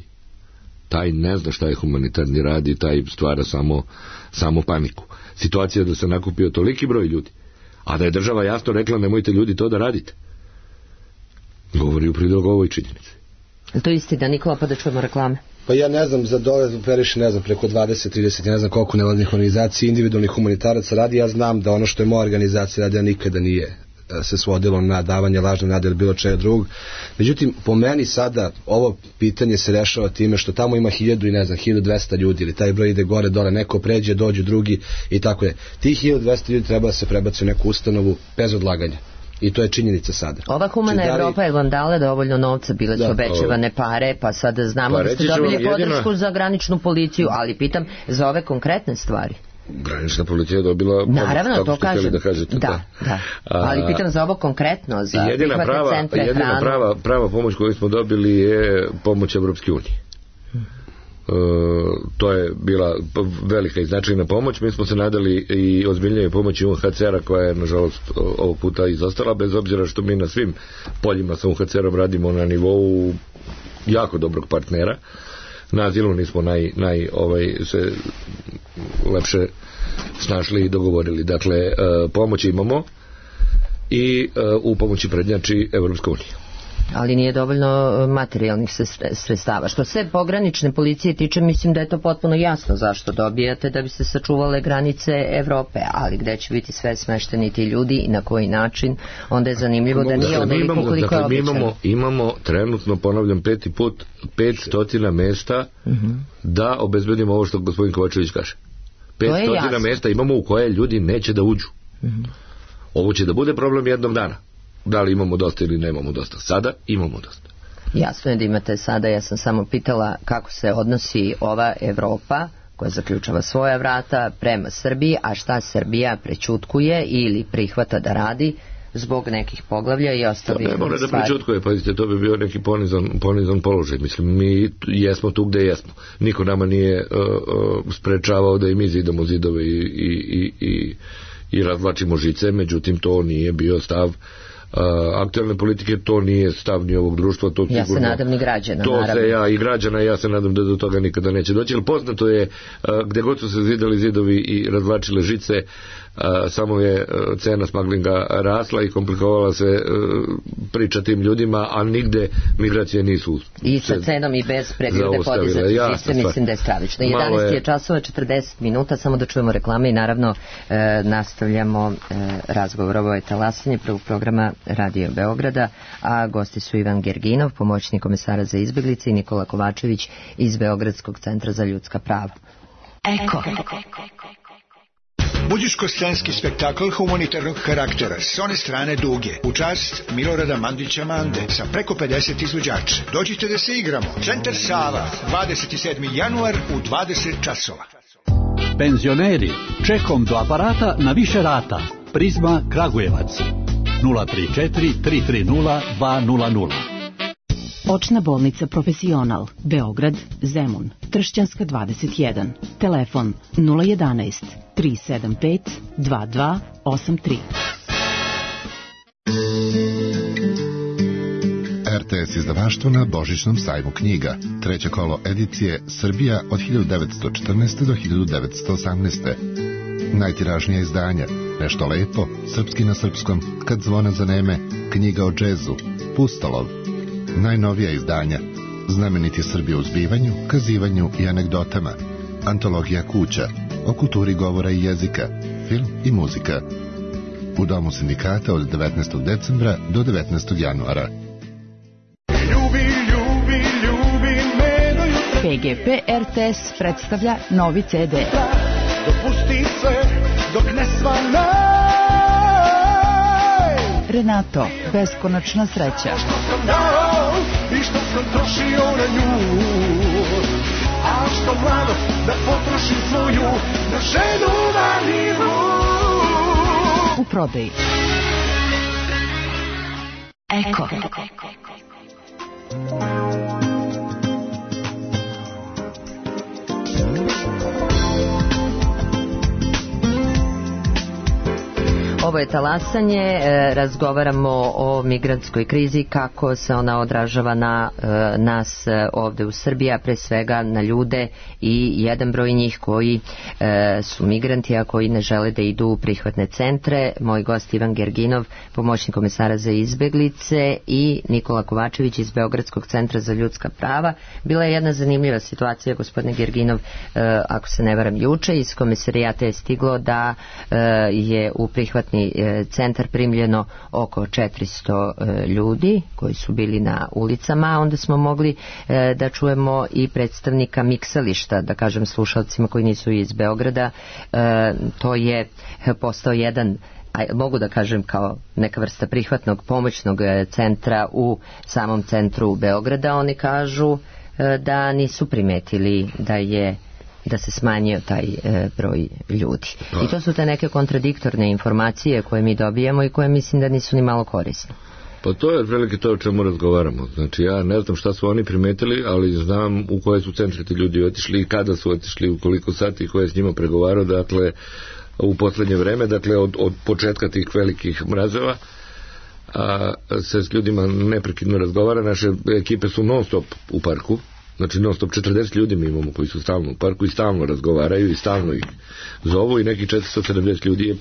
Taj ne zna šta je humanitarni rad i taj stvara samo, samo paniku. Situacija je da se nakupio toliki broj ljudi, a da je država jasno rekla nemojte ljudi to da radite, govori u prilog ovoj činjenici. To je istina, Nikola, pa da čujemo reklame. Pa ja ne znam, za dole operiše, ne znam, preko dvadeset trideset, ja ne znam koliko nevladnih organizacija, individualnih humanitaraca radi, ja znam da ono što je moja organizacija radi, nikada nije se svodilo na davanje lažne nade ili bilo čega drugog. Međutim, po meni sada ovo pitanje se rešava time što tamo ima hiljadu i ne znam, hiljadu dvesta ljudi ili taj broj ide gore, dole, neko pređe, dođu drugi i tako je. Tih hiljadu dvesta ljudi treba da se prebaci u neku ustanovu bez odlaganja. I to je činjenica sada. Ova humana Či, Evropa je vam dala dovoljno novca, bile su obećavane pare, pa sada znamo pa da ste dobili jedino... podršku za graničnu policiju, ali pitam za ove konkretne stvari. Granična policija je dobila pomoć, naravno, to kažem. Da, kažete, da, da. Ali pitam za ovo konkretno, za jedina prava, centre, jedina hranu. prava, prava pomoć koju smo dobili je pomoć Evropske unije. Hmm. Uh, to je bila velika i značajna pomoć. Mi smo se nadali i ozbiljnije pomoći U N H C R-a koja je nažalost ovog puta izostala, bez obzira što mi na svim poljima sa U N H C R-om radimo na nivou jako dobrog partnera. Na azilu nismo naj, naj ovaj, se lepše snašli i dogovorili. Dakle, uh, pomoć imamo i uh, u pomoći prednjači Evropska unija. Ali nije dovoljno materijalnih sredstava. Što se pogranične policije tiče, mislim da je to potpuno jasno zašto dobijate, da bi se sačuvale granice Evrope, ali gde će biti sve smešteni ti ljudi i na koji način, onda je zanimljivo da nije onoliko koliko je običano. Mi imamo, imamo trenutno, ponavljam peti put, petstotina mesta uh-huh. da obezbedimo ovo što gospodin Kovačević kaže. petstotina mesta imamo u koje ljudi neće da uđu. Uh-huh. Ovo će da bude problem jednog dana. Da li imamo dosta ili nemamo dosta. Sada imamo dosta. Jasno je da imate sada, ja sam samo pitala kako se odnosi ova Evropa koja zaključava svoja vrata prema Srbiji, a šta Srbija prećutkuje ili prihvata da radi zbog nekih poglavlja i ostalih stvari. Ne mora da prećutkuje, pazite, to bi bio neki ponizan, ponizan položaj. Mislim, mi jesmo tu gde jesmo. Niko nama nije uh, uh, sprečavao da i mi zidamo zidove i, i, i, i, i razvlačimo žice, međutim to nije bio stav aktualne politike, to nije stav ni ovog društva, to ja sigurno, se nadam ni građana, to naravno. se ja i građana, ja se nadam da do toga nikada neće doći, ali poznato je gde god su se zidali zidovi i razvlačile žice, a, samo je a, cena smaglinga rasla i komplikovala se a, priča tim ljudima, a nigde migracije nisu i sa cenom i bez pregrade podizati sistem, mislim da je stravično. jedanaest je časova četrdeset minuta, samo da čujemo reklame i naravno e, nastavljamo e, razgovor. Ovo je talasanje prvog programa Radio Beograda, a gosti su Ivan Gerginov, pomoćnik komesara za izbeglice, i Nikola Kovačević iz Beogradskog centra za ljudska prava. Eko. Budiško-scenski spektakl humanitarnog karaktera s one strane Duge, u čast Milorada Mandića Mande, sa preko pedeset izvođača. Dođite da se igramo. Centar Sava, dvadeset sedmi januar u dvadeset časova. Penzioneri, čekom do aparata na više rata. Prizma Kragujevac nula tri četiri tri tri nula dva nula nula. Očna bolnica Profesional, Beograd, Zemun, Tršćanska dvadeset jedan. Telefon nula jedanaest tri sedam pet dva dva osam tri. R T S izdavaštvo na Božićnom sajmu knjiga. Treće kolo edicije Srbija od hiljadu devetsto četrnaeste. do hiljadu devetsto osamnaeste. Najtiražnija izdanja, Nešto lepo, Srpski na srpskom, Kad zvona zaneme, Knjiga o džezu, Pustolov. Najnovija izdanja, Znameniti Srbi u zbivanju, kazivanju i anegdotama, Antologija kuća, o kulturi govora i jezika, film i muzika. U Domu sindikata od devetnaestog decembra do devetnaestog januara. Ljubi, ljubi, ljubi me do jutra. P G P R T S predstavlja novi C D. Dopusti sve dok ne svanaj. Renato, beskonačna sreća. Što sam dao i što sam trošio na nju, a što mladost da potrošim svoju na ženu vanilju. U prodaji. Eko. Ovo je talasanje, e, razgovaramo o migrantskoj krizi, kako se ona odražava na e, nas e, ovde u Srbiji, a pre svega na ljude i jedan broj njih koji e, su migranti, a koji ne žele da idu u prihvatne centre. Moj gost Ivan Gerginov, pomoćnik komesara za izbeglice, i Nikola Kovačević iz Beogradskog centra za ljudska prava. Bila je jedna zanimljiva situacija, gospodine Gerginov, e, ako se ne varam, juče iz komisarijata je stiglo da e, je u prihvatni centar primljeno oko četiristo ljudi koji su bili na ulicama, a onda smo mogli da čujemo i predstavnika miksališta, da kažem slušalcima koji nisu iz Beograda. To je postao jedan, mogu da kažem, kao neka vrsta prihvatnog pomoćnog centra u samom centru Beograda. Oni kažu da nisu primetili da je da se smanjio taj e, broj ljudi. Pa. I to su te neke kontradiktorne informacije koje mi dobijamo i koje mislim da nisu ni malo korisne. Pa to je otprilike to o čemu razgovaramo. Znači ja ne znam šta su oni primetili, ali znam u koje su centre ti ljudi otišli i kada su otišli, u koliko sati, ko je s njima pregovarao, dakle u poslednje vreme, dakle od, od početka tih velikih mrazova, a, se s ljudima neprekidno razgovara. Naše ekipe su non stop u parku. Znači non stop četrdeset ljudi mi imamo koji su stalno u parku i stalno razgovaraju i stalno ih zovu, i neki četiristo sedamdeset ljudi je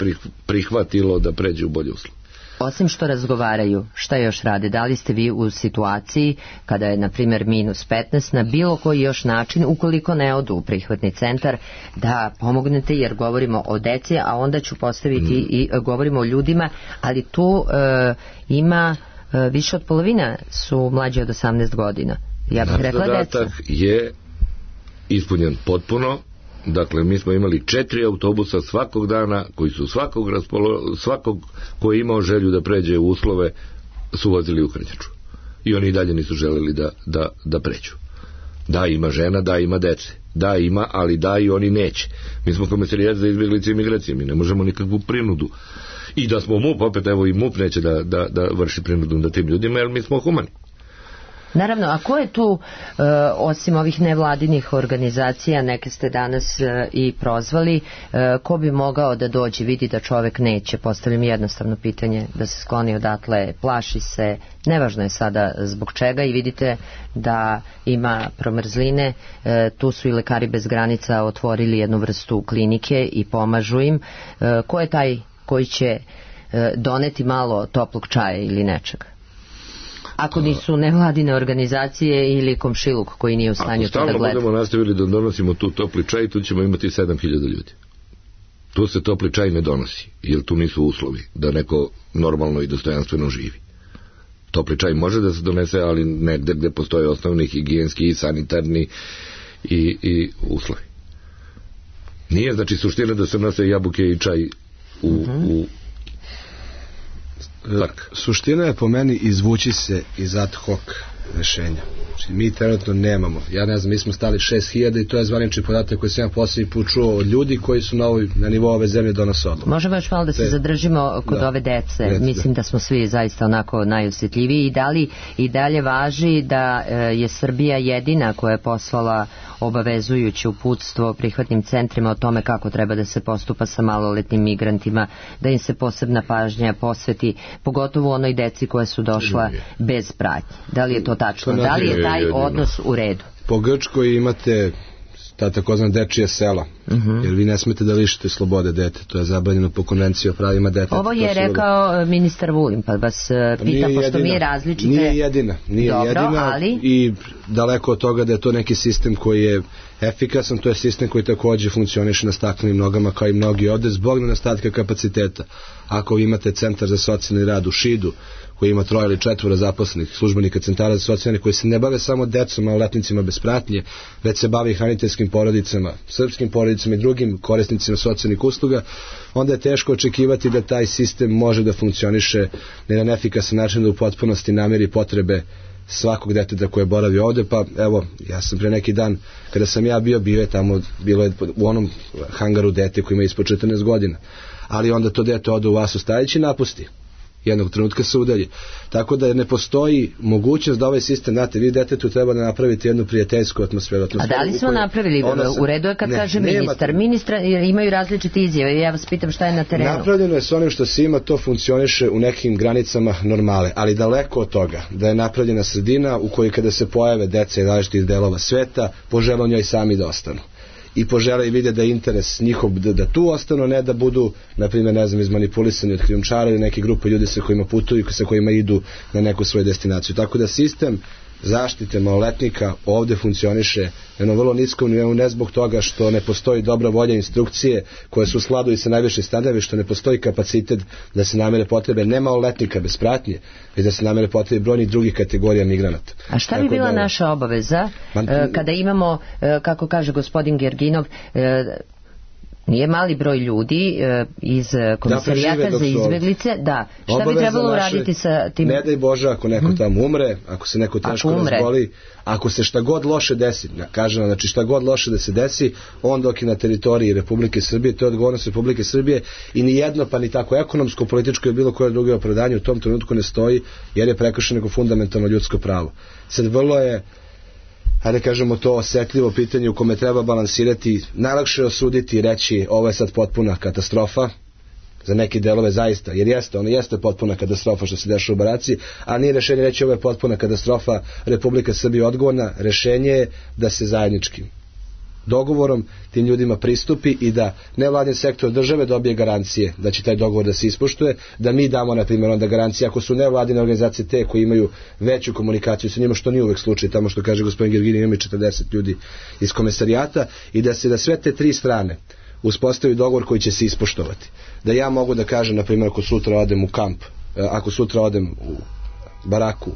prihvatilo da pređe u bolje uslove. Osim što razgovaraju, šta još rade? Da li ste vi u situaciji kada je, na primjer, minus petnaest, na bilo koji još način, ukoliko ne odu u prihvatni centar, da pomognete, jer govorimo o deci, a onda ću postaviti mm. i govorimo o ljudima, ali tu e, ima e, više od polovina su mlađi od osamnaest godina. Ja bih rekla deca. Zadatak je ispunjen potpuno. Dakle, mi smo imali četiri autobusa svakog dana koji su svakog, raspolo, svakog koji je imao želju da pređe u uslove su vozili u Krnjaču. I oni i dalje nisu želeli da, da, da pređu. Da, ima žena, da, ima dece. Da, ima, ali da, i oni neće. Mi smo komisarijat za izbjeglice i migracije. Mi ne možemo nikakvu prinudu. I da smo MUP, opet evo i MUP neće da, da, da vrši prinudu na tim ljudima, jer mi smo humani. Naravno, a ko je tu, e, osim ovih nevladinih organizacija, neke ste danas e, i prozvali, e, ko bi mogao da dođe, vidi da čovek neće, postavljam jednostavno pitanje, da se skloni odatle, plaši se, nevažno je sada zbog čega, i vidite da ima promrzline, e, tu su i Lekari bez granica otvorili jednu vrstu klinike i pomažu im. E, ko je taj koji će e, doneti malo toplog čaja ili nečega? Ako nisu nevladine organizacije ili komšiluk koji nije u stanju to da gleda. Ako stalno budemo nastavili da donosimo tu topli čaj, tu ćemo imati sedam hiljada ljudi. Tu se topli čaj ne donosi, jer tu nisu uslovi da neko normalno i dostojanstveno živi. Topli čaj može da se donese, ali negde gde postoje osnovni higijenski i sanitarni i, i uslovi. Nije znači suština da se nose jabuke i čaj u, uh-huh. u tak. Suština je po meni izvući se iz ad hoc rešenja. Znači, mi trenutno nemamo, ja ne znam, mi smo stali šest hiljada i to je zvanični podatak koji sam ja posljednji put čuo od ljudi koji su na, ovoj, na nivou ove zemlje donose odluku. Možemo još malo da se Te, zadržimo kod da, ove dece. Dec, Mislim da. da smo svi zaista onako najosjetljiviji. I da li i dalje važi da e, je Srbija jedina koja je poslala obavezujuće uputstvo prihvatnim centrima o tome kako treba da se postupa sa maloletnim migrantima, da im se posebna pažnja posveti, pogotovo onoj deci koja su došla bez pratnje. Da li je to tačno? Da li je taj odnos u redu? Po Grčkoj imate ta takozvana dečija sela, uh-huh. jer vi ne smete da lišite slobode dete, to je zabranjeno po konvenciji o pravima deteta. Ovo je rekao da... ministar Vulin, pa vas pita, pošto mi je različite... Nije jedina, nije Dobro, jedina ali... i daleko od toga da je to neki sistem koji je efikasan, to je sistem koji takođe funkcioniše na staklenim nogama kao i mnogi ovde zbog nedostatka kapaciteta. Ako vi imate centar za socijalni rad u Šidu, koji ima troje ili četvora zaposlenih službenika centara za socijalne, koji se ne bave samo decom, maloletnicima bez pratnje, već se bave hraniteljskim porodicama, srpskim porodicama i drugim korisnicima socijalnih usluga, onda je teško očekivati da taj sistem može da funkcioniše na jedan efikasan način, da u potpunosti namiri potrebe svakog deteta koje boravi ovde. Pa evo, ja sam pre neki dan, kada sam ja bio, bio je tamo, bilo je u onom hangaru dete koji ima ispod četrnaest godina, ali onda to dete ode u Vasu Stajić i napusti. Jednog trenutka se udalji. Tako da ne postoji mogućnost da ovaj sistem, znate, vi detetu treba da napraviti jednu prijateljsku atmosferu. atmosferu A da li smo napravili? Sam, u redu je kad ne, kaže ministar. Nema, Ministra imaju različite izjave. Ja vas pitam šta je na terenu. Napravljeno je s onim što se ima, to funkcioniše u nekim granicama normale, ali daleko od toga da je napravljena sredina u kojoj kada se pojave deca iz različitih delova sveta, požele njoj sami da ostanu. I požele i vide da je interes njihov da, da tu ostanu, ne da budu, na primjer, ne znam, izmanipulisani od krijumčara ili neke grupe ljudi sa kojima putuju i sa kojima idu na neku svoju destinaciju. Tako da sistem zaštite maloletnika ovde funkcioniše na jednom vrlo niskom nivou, ne zbog toga što ne postoji dobra volja instrukcije koje su u skladu i sa najvišim standardima, što ne postoji kapacitet da se namere potrebe ne maloletnika bez pratnje, već da se namere potrebe brojnih drugih kategorija migranata. A šta bi bila da, naša obaveza man, kada imamo, kako kaže gospodin Gerginov, nije mali broj ljudi e, iz komisarijata da za izbjeglice, da, šta obaveza bi trebalo naše, uraditi sa tim? Ne daj Bože ako neko hmm. tamo umre, ako se neko teško razboli, ako se šta god loše desi, kažem, znači šta god loše da se desi, on dok je na teritoriji Republike Srbije, to je odgovornost Republike Srbije i ni jedno, pa ni tako ekonomsko, političko i bilo koje drugo opravdanje u tom trenutku ne stoji, jer je prekršeno neko fundamentalno ljudsko pravo. Sad vrlo je, hajde kažemo, to osetljivo pitanje u kome treba balansirati, najlakše je osuditi i reći ovo je sad potpuna katastrofa, za neke delove zaista, jer jeste, ono jeste potpuna katastrofa što se dešava u Baraci, a nije rešenje reći ovo je potpuna katastrofa, Republika Srbija odgovorna, rešenje je da se zajedničkim dogovorom tim ljudima pristupi i da nevladin sektor države dobije garancije da će taj dogovor da se ispoštuje, da mi damo na primjer onda garancije ako su nevladine organizacije te koji imaju veću komunikaciju sa njima, što nije uvek slučaj, tamo što kaže gospodin Gergini ima četrdeset ljudi iz komisarijata, i da se da sve te tri strane uspostavi dogovor koji će se ispoštovati. Da ja mogu da kažem, na primjer, ako sutra odem u kamp, ako sutra odem u baraku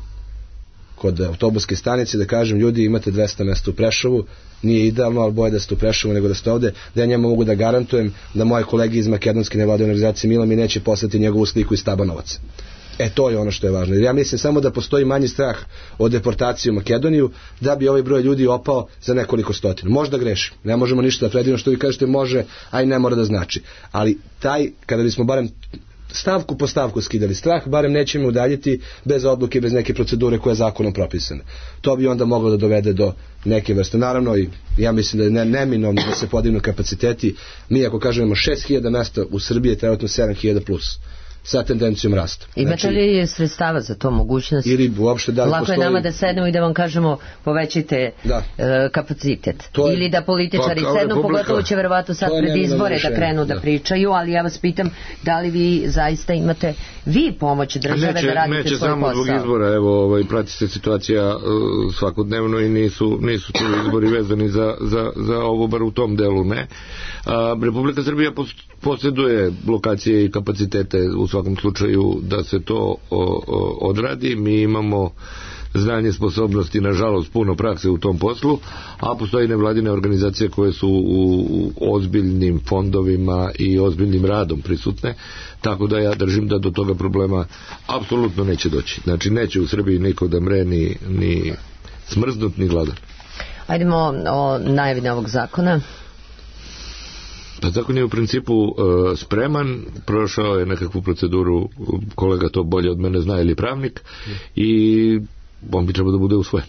kod autobuske stanice, da kažem ljudi imate dvesta mesta u Prešovu, nije idealno, ali bolje da ste u Prešovu nego da ste ovde, da ja njemu mogu da garantujem da moje kolege iz makedonske nevladine organizacije Mila mi neće poslati njegovu sliku iz Tabanovaca. E to je ono što je važno. Jer ja mislim samo da postoji manji strah od deportacije u Makedoniju, da bi ovaj broj ljudi opao za nekoliko stotina. Možda grešim, ne možemo ništa da predivimo, što vi kažete može, a i ne mora da znači. Ali taj, kada bismo barem stavku po stavku skidali strah, barem nećemo udaljiti bez odluke, bez neke procedure koja je zakonom propisana. To bi onda moglo da dovede do neke vrste. Naravno, i ja mislim da je ne, neminovno da se podignu kapaciteti. Mi ako kažemo šest hiljada mesta u Srbiji je trenutno sedam hiljada plus, sa tendencijom rasta. Imate znači, li sredstava za to, mogućnost? Ili uopšte da li lako postoji... je nama da sednemo i da vam kažemo povećajte da. e, kapacitet. Je... Ili da političari pa, sednu, republika... pogotovo će verovatno sad pred izbore da krenu da. da pričaju, ali ja vas pitam da li vi zaista imate vi pomoć države neće, da radite neće svoj samo posao? Zbog izbora, evo, ovaj, prati se situacija uh, svakodnevno i nisu, nisu tu izbori vezani za, za, za ovo, bar u tom delu, ne. Uh, Republika Srbija posjeduje lokacije i kapacitete u svakom slučaju da se to o, o, odradi. Mi imamo znanje, sposobnosti, nažalost puno prakse u tom poslu, a postoji nevladine organizacije koje su u, u ozbiljnim fondovima i ozbiljnim radom prisutne, tako da ja držim da do toga problema apsolutno neće doći. Znači neće u Srbiji niko da mre ni, ni smrznut ni gladan. Ajdemo o najavi novog zakona. Pa zakon je u principu uh, spreman, prošao je nekakvu proceduru, kolega to bolje od mene zna, ili pravnik, i on bi trebao da bude usvojen.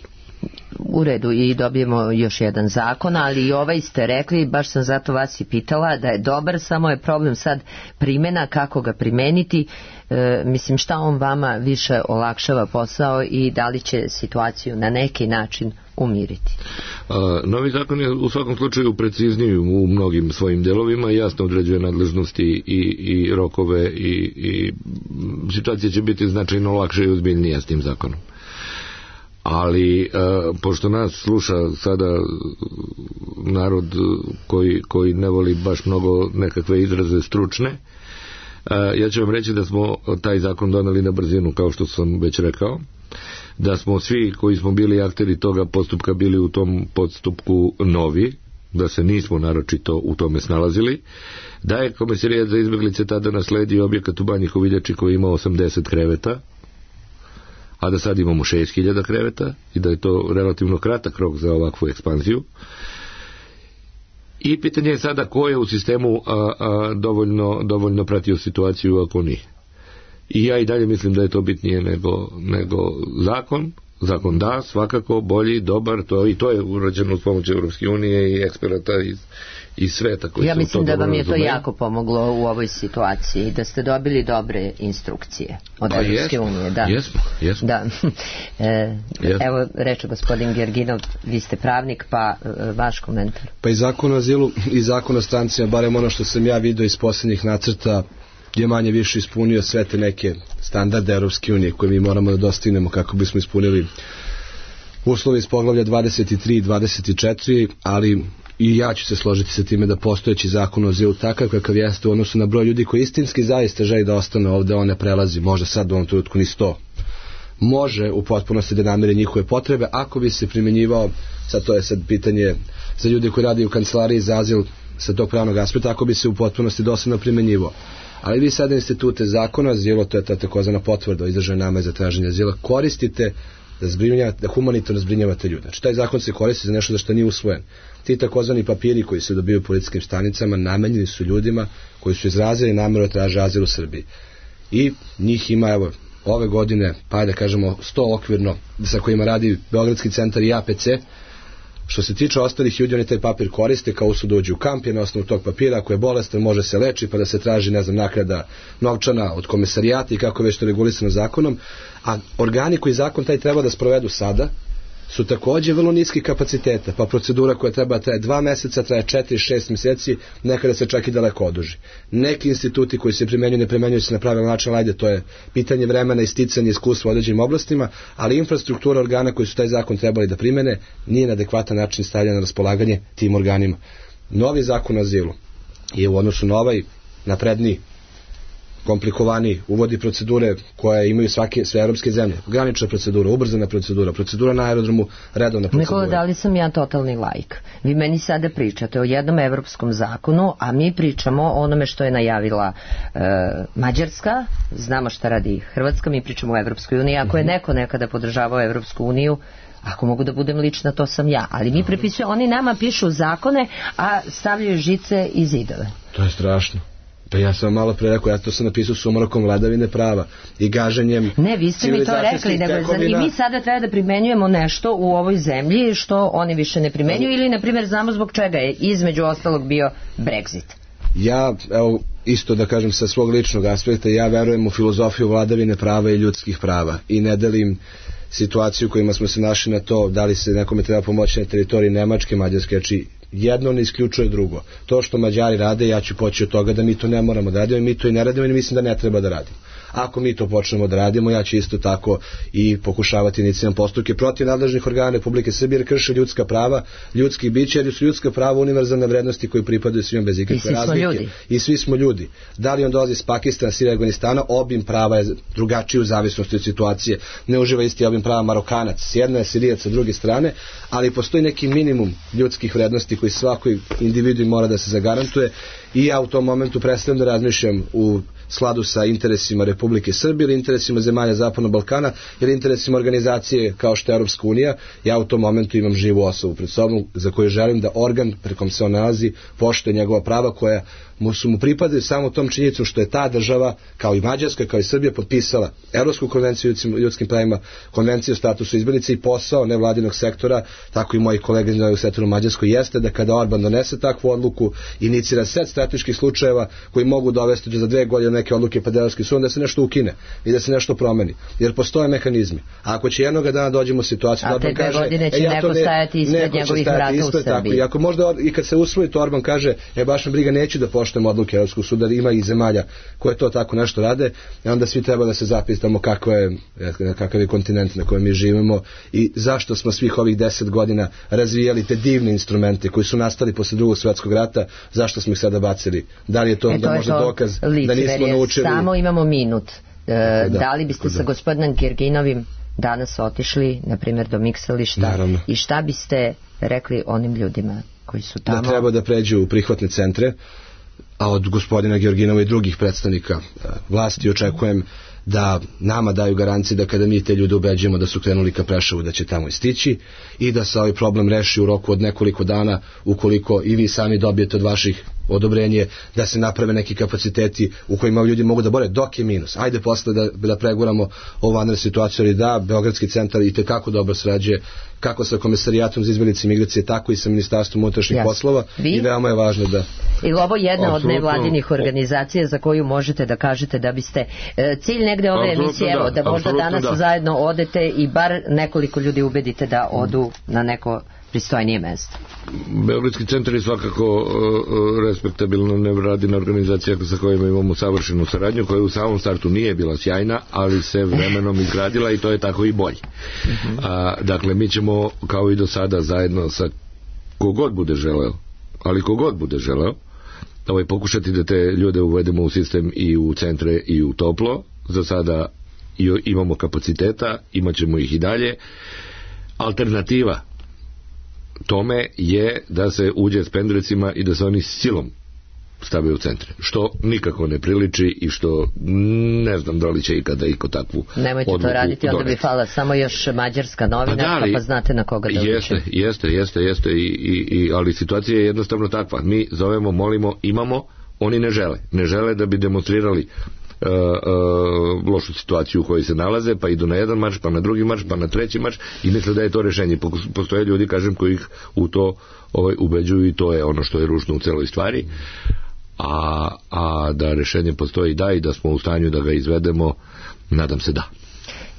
U redu, i dobijemo još jedan zakon, ali i ovaj ste rekli, baš sam zato vas i pitala, da je dobar, samo je problem sad primjena, kako ga primeniti. E, mislim, šta on vama više olakšava posao i da li će situaciju na neki način umiriti? A, novi zakon je u svakom slučaju precizniji u mnogim svojim delovima, jasno određuje nadležnosti i, i rokove i, i situacija će biti značajno lakše i ozbiljnija s tim zakonom. Ali e, pošto nas sluša sada narod koji, koji ne voli baš mnogo nekakve izraze stručne, e, ja ću vam reći da smo taj zakon doneli na brzinu, kao što sam već rekao, da smo svi koji smo bili akteri toga postupka bili u tom postupku novi, da se nismo naročito u tome snalazili, da je Komesarijat za izbeglice tada nasledio objekat u Banji Hoviljači koji ima osamdeset kreveta, a da sad imamo šest hiljada kreveta i da je to relativno kratak rok za ovakvu ekspanziju. I pitanje je sada ko je u sistemu a, a, dovoljno, dovoljno pratio situaciju, ako nije. I ja i dalje mislim da je to bitnije nego, nego zakon. Zakon da, svakako, bolji, dobar, to, i to je urađeno uz pomoć Evropske unije i eksperata iz, iz sveta. Koji ja mislim da vam je to razumeju. jako pomoglo u ovoj situaciji, da ste dobili dobre instrukcije od pa Evropske unije. Da. Jesmo, jesmo. Da. E, jesmo. Evo, reče gospodin Gerginov, vi ste pravnik, pa e, vaš komentar. Pa i zakon o azilu i zakon o strancima, barem ono što sam ja vidio iz posljednjih nacrta, je manje više ispunio sve te neke standarde Evropske unije koje mi moramo da dostignemo kako bismo ispunili uslove iz poglavlja dvadeset tri i dvadeset četiri, ali i ja ću se složiti sa time da postojeći zakon o azilu takav kakav jeste u odnosu na broj ljudi koji istinski zaista želi da ostane ovde, on ne prelazi, možda sad u ovom trenutku ni sto. Može u potpunosti da namiri njihove potrebe ako bi se primjenjivao, sad to je sad pitanje za ljude koji radi u kancelariji za azil sa tog pravnog aspekta, ako bi se u potpunosti dosledno primjenjivao. Ali vi sada institute zakona azila, to je ta takozvana potvrda o izraženoj nameri za traženje azila, koristite da, da humanitarno zbrinjavate ljude. Znači taj zakon se koristi za nešto za što nije usvojen. Ti takozvani papiri koji se dobiju u policijskim stanicama namenjeni su ljudima koji su izrazili nameru da traže azil u Srbiji. I njih ima, evo, ove godine, pa da kažemo sto okvirno, sa kojima radi Beogradski centar i A P C. Što se tiče ostalih ljudi, oni taj papir koriste kao su dođu u kamp, je na osnovu tog papira, ako je bolestan može se leči, pa da se traži, ne znam, naknada novčana od komesarijata i kako već to regulisano zakonom, a organi koji zakon taj treba da sprovedu sada su takođe vrlo niski kapaciteta, pa procedura koja treba traje dva meseca, traje četiri, šest meseci, nekada se čak i daleko oduži. Neki instituti koji se primenjuju, ne primenjuju se na pravilan način, ajde, to je pitanje vremena i sticanje iskustva u određenim oblastima, ali infrastruktura organa koji su taj zakon trebali da primene nije na adekvatan način stavljena na raspolaganje tim organima. Novi zakon o azilu je u odnosu na ovaj napredniji, komplikovaniji, uvodi procedure koje imaju svake, sve evropske zemlje. Granična procedura, ubrzana procedura, procedura na aerodromu, redovna procedura. Nikola, da li sam ja totalni laik? Vi meni sada pričate o jednom evropskom zakonu, a mi pričamo o onome što je najavila e, Mađarska, znamo šta radi Hrvatska, mi pričamo o Evropskoj uniji. Ako je neko nekada podržavao Evropsku uniju, ako mogu da budem lična, to sam ja. Ali mi prepisujemo, oni nama pišu zakone, a stavljaju žice i zidove. To je strašno. Pa ja sam malo pre rekao, ja to sam napisao sumrakom vladavine prava i gaženjem. Ne, vi ste mi to rekli, nego i mi sada treba da primenjujemo nešto u ovoj zemlji što oni više ne primenjuju, ili na primjer znamo zbog čega je između ostalog bio Brexit. Ja, evo, isto da kažem sa svog ličnog aspekta, ja verujem u filozofiju vladavine prava i ljudskih prava i ne delim situaciju u kojima smo se našli na to da li se nekome treba pomoći na teritoriji Nemačke, Mađarske, znači jedno ne isključuje drugo. To što Mađari rade, ja ću poći od toga da mi to ne moramo da radimo, mi to i ne radimo i mislim da ne treba da radimo. Ako mi to počnemo da radimo, ja ću isto tako i pokušavati inicijalne postupke protiv nadležnih organa Republike Srbije, jer krše ljudska prava, ljudskih bića, jer su ljudska prava univerzalne vrednosti koji pripadaju svima bez ikakve razlike. I svi smo ljudi. Da li on dolazi iz Pakistana, Sirije, Afganistana, obim prava je drugačiji u zavisnosti od situacije. Ne uživa isti obim prava Marokanac, s jedne, Sirijac sa druge strane, ali postoji neki minimum ljudskih vrednosti koji svakoj individu mora da se zagarantuje i ja u tom momentu prestajem da razmišljam u skladu sa interesima Republike Srbije ili interesima zemalja Zapadnog Balkana ili interesima organizacije kao što je Europska unija. Ja u tom momentu imam živu osobu pred sobom za koju želim da organ prekom se on nalazi poštuje njegova prava koja mu su mu pripadaju samo tom činjenicom što je ta država, kao i Mađarska, kao i Srbija, potpisala Evropsku konvenciju o ljudskim pravima, konvenciju o statusu izbjeglica i posao nevladinog sektora, tako i moji kolege iz nevladinog sektora u Mađarskoj, jeste da kada Orban donese takvu odluku, inicira set strateških slučajeva koji mogu dovesti do za dve godine neke odluke pred Evropskim sudom da se nešto ukine i da se nešto promeni. Jer postoje mehanizmi. A ako će jednog dana dođemo u situaciju da Orban kaže, godine će e, ja neko ne, stajati ispred njegovih vrata u Srbiji. I ako možda i kad se usvoji to Orban kaže, e baš me briga, neću da poštujem odluke Evropskog suda, ima i zemalja koje to tako nešto rade, i onda svi treba da se zapitamo kako je, kakav je kontinent na kojem mi živimo i zašto smo svih ovih deset godina razvijali te divne instrumente koji su nastali posle drugog svjetskog rata, zašto smo ih sada bacili? Da li je to onda e, možda dokaz da nismo naučili? Samo imamo minut. E, da, da li biste da. sa gospodinom Gerginovim danas otišli, na primjer, do miksališta? Naravno. I šta biste rekli onim ljudima koji su tamo? Da treba da pređu u prihvatne centre, a od gospodina Georginova i drugih predstavnika vlasti očekujem da nama daju garancije da kada mi te ljude ubeđujemo da su krenuli ka Preševu da će tamo istići i da se ovaj problem reši u roku od nekoliko dana ukoliko i vi sami dobijete od vaših odobrenje da se naprave neki kapaciteti u kojima ljudi mogu da bore dok je minus. Ajde posle da, da preguramo ovu vanrednu situaciju, ali da, Beogradski centar i tekako dobro srađuje kako sa Komesarijatom za izbjeglice i migracije, tako i sa Ministarstvom unutrašnjih poslova i veoma je važno da... I ovo je jedna od nevladinih organizacija za koju možete da kažete da biste cilj negde ove emisije, evo, da možda danas da. zajedno odete i bar nekoliko ljudi ubedite da odu na neko pristojnije mesto. Beogradski centar je svakako uh, respektabilna nevladina organizacija sa kojima imamo savršenu saradnju, koja u samom startu nije bila sjajna, ali se vremenom izgradila i to je tako i bolje. Uh-huh. A, dakle, mi ćemo kao i do sada zajedno sa kogod bude želeo, ali kogod bude želeo, ovaj, pokušati da te ljude uvedemo u sistem i u centre i u toplo. Za sada imamo kapaciteta, imat ćemo ih i dalje. Alternativa tome je da se uđe s pendrecima i da se oni silom stave u centre, što nikako ne priliči i što ne znam da li će ikada iko takvu odluku. Nemojte to raditi, onda bi fala samo još mađarska novinarka, pa, pa znate na koga da jeste, uđe. Jeste, jeste, jeste, i, i, i, ali situacija je jednostavno takva. Mi zovemo, molimo, imamo, oni ne žele. Ne žele da bi demonstrirali Uh, uh, lošu situaciju u kojoj se nalaze, pa idu na jedan marš, pa na drugi marš, pa na treći marš i misle da je to rešenje. Postoje ljudi, kažem, koji ih u to ovaj, ubeđuju i to je ono što je ružno u celoj stvari. A, a da rešenje postoji da i da smo u stanju da ga izvedemo, nadam se da.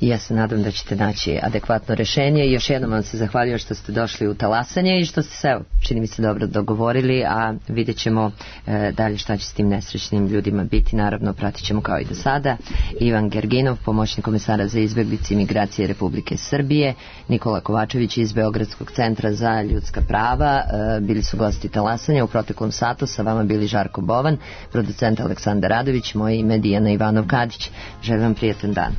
I ja se nadam da ćete naći adekvatno rešenje i još jednom vam se zahvaljujem što ste došli u talasanje i što ste se, evo, čini mi se, dobro dogovorili, a vidjet ćemo e, dalje šta će s tim nesrećnim ljudima biti. Naravno, pratit ćemo kao i do sada. Ivan Gerginov, pomoćnik komesara za izbjeglice i migracije Republike Srbije, Nikola Kovačević iz Beogradskog centra za ljudska prava, e, bili su gosti talasanja. U proteklom satu sa vama bili Žarko Bovan, producent Aleksandar Radović, moje ime Dijana Ivanov Kadić. Želim vam prijatan dan.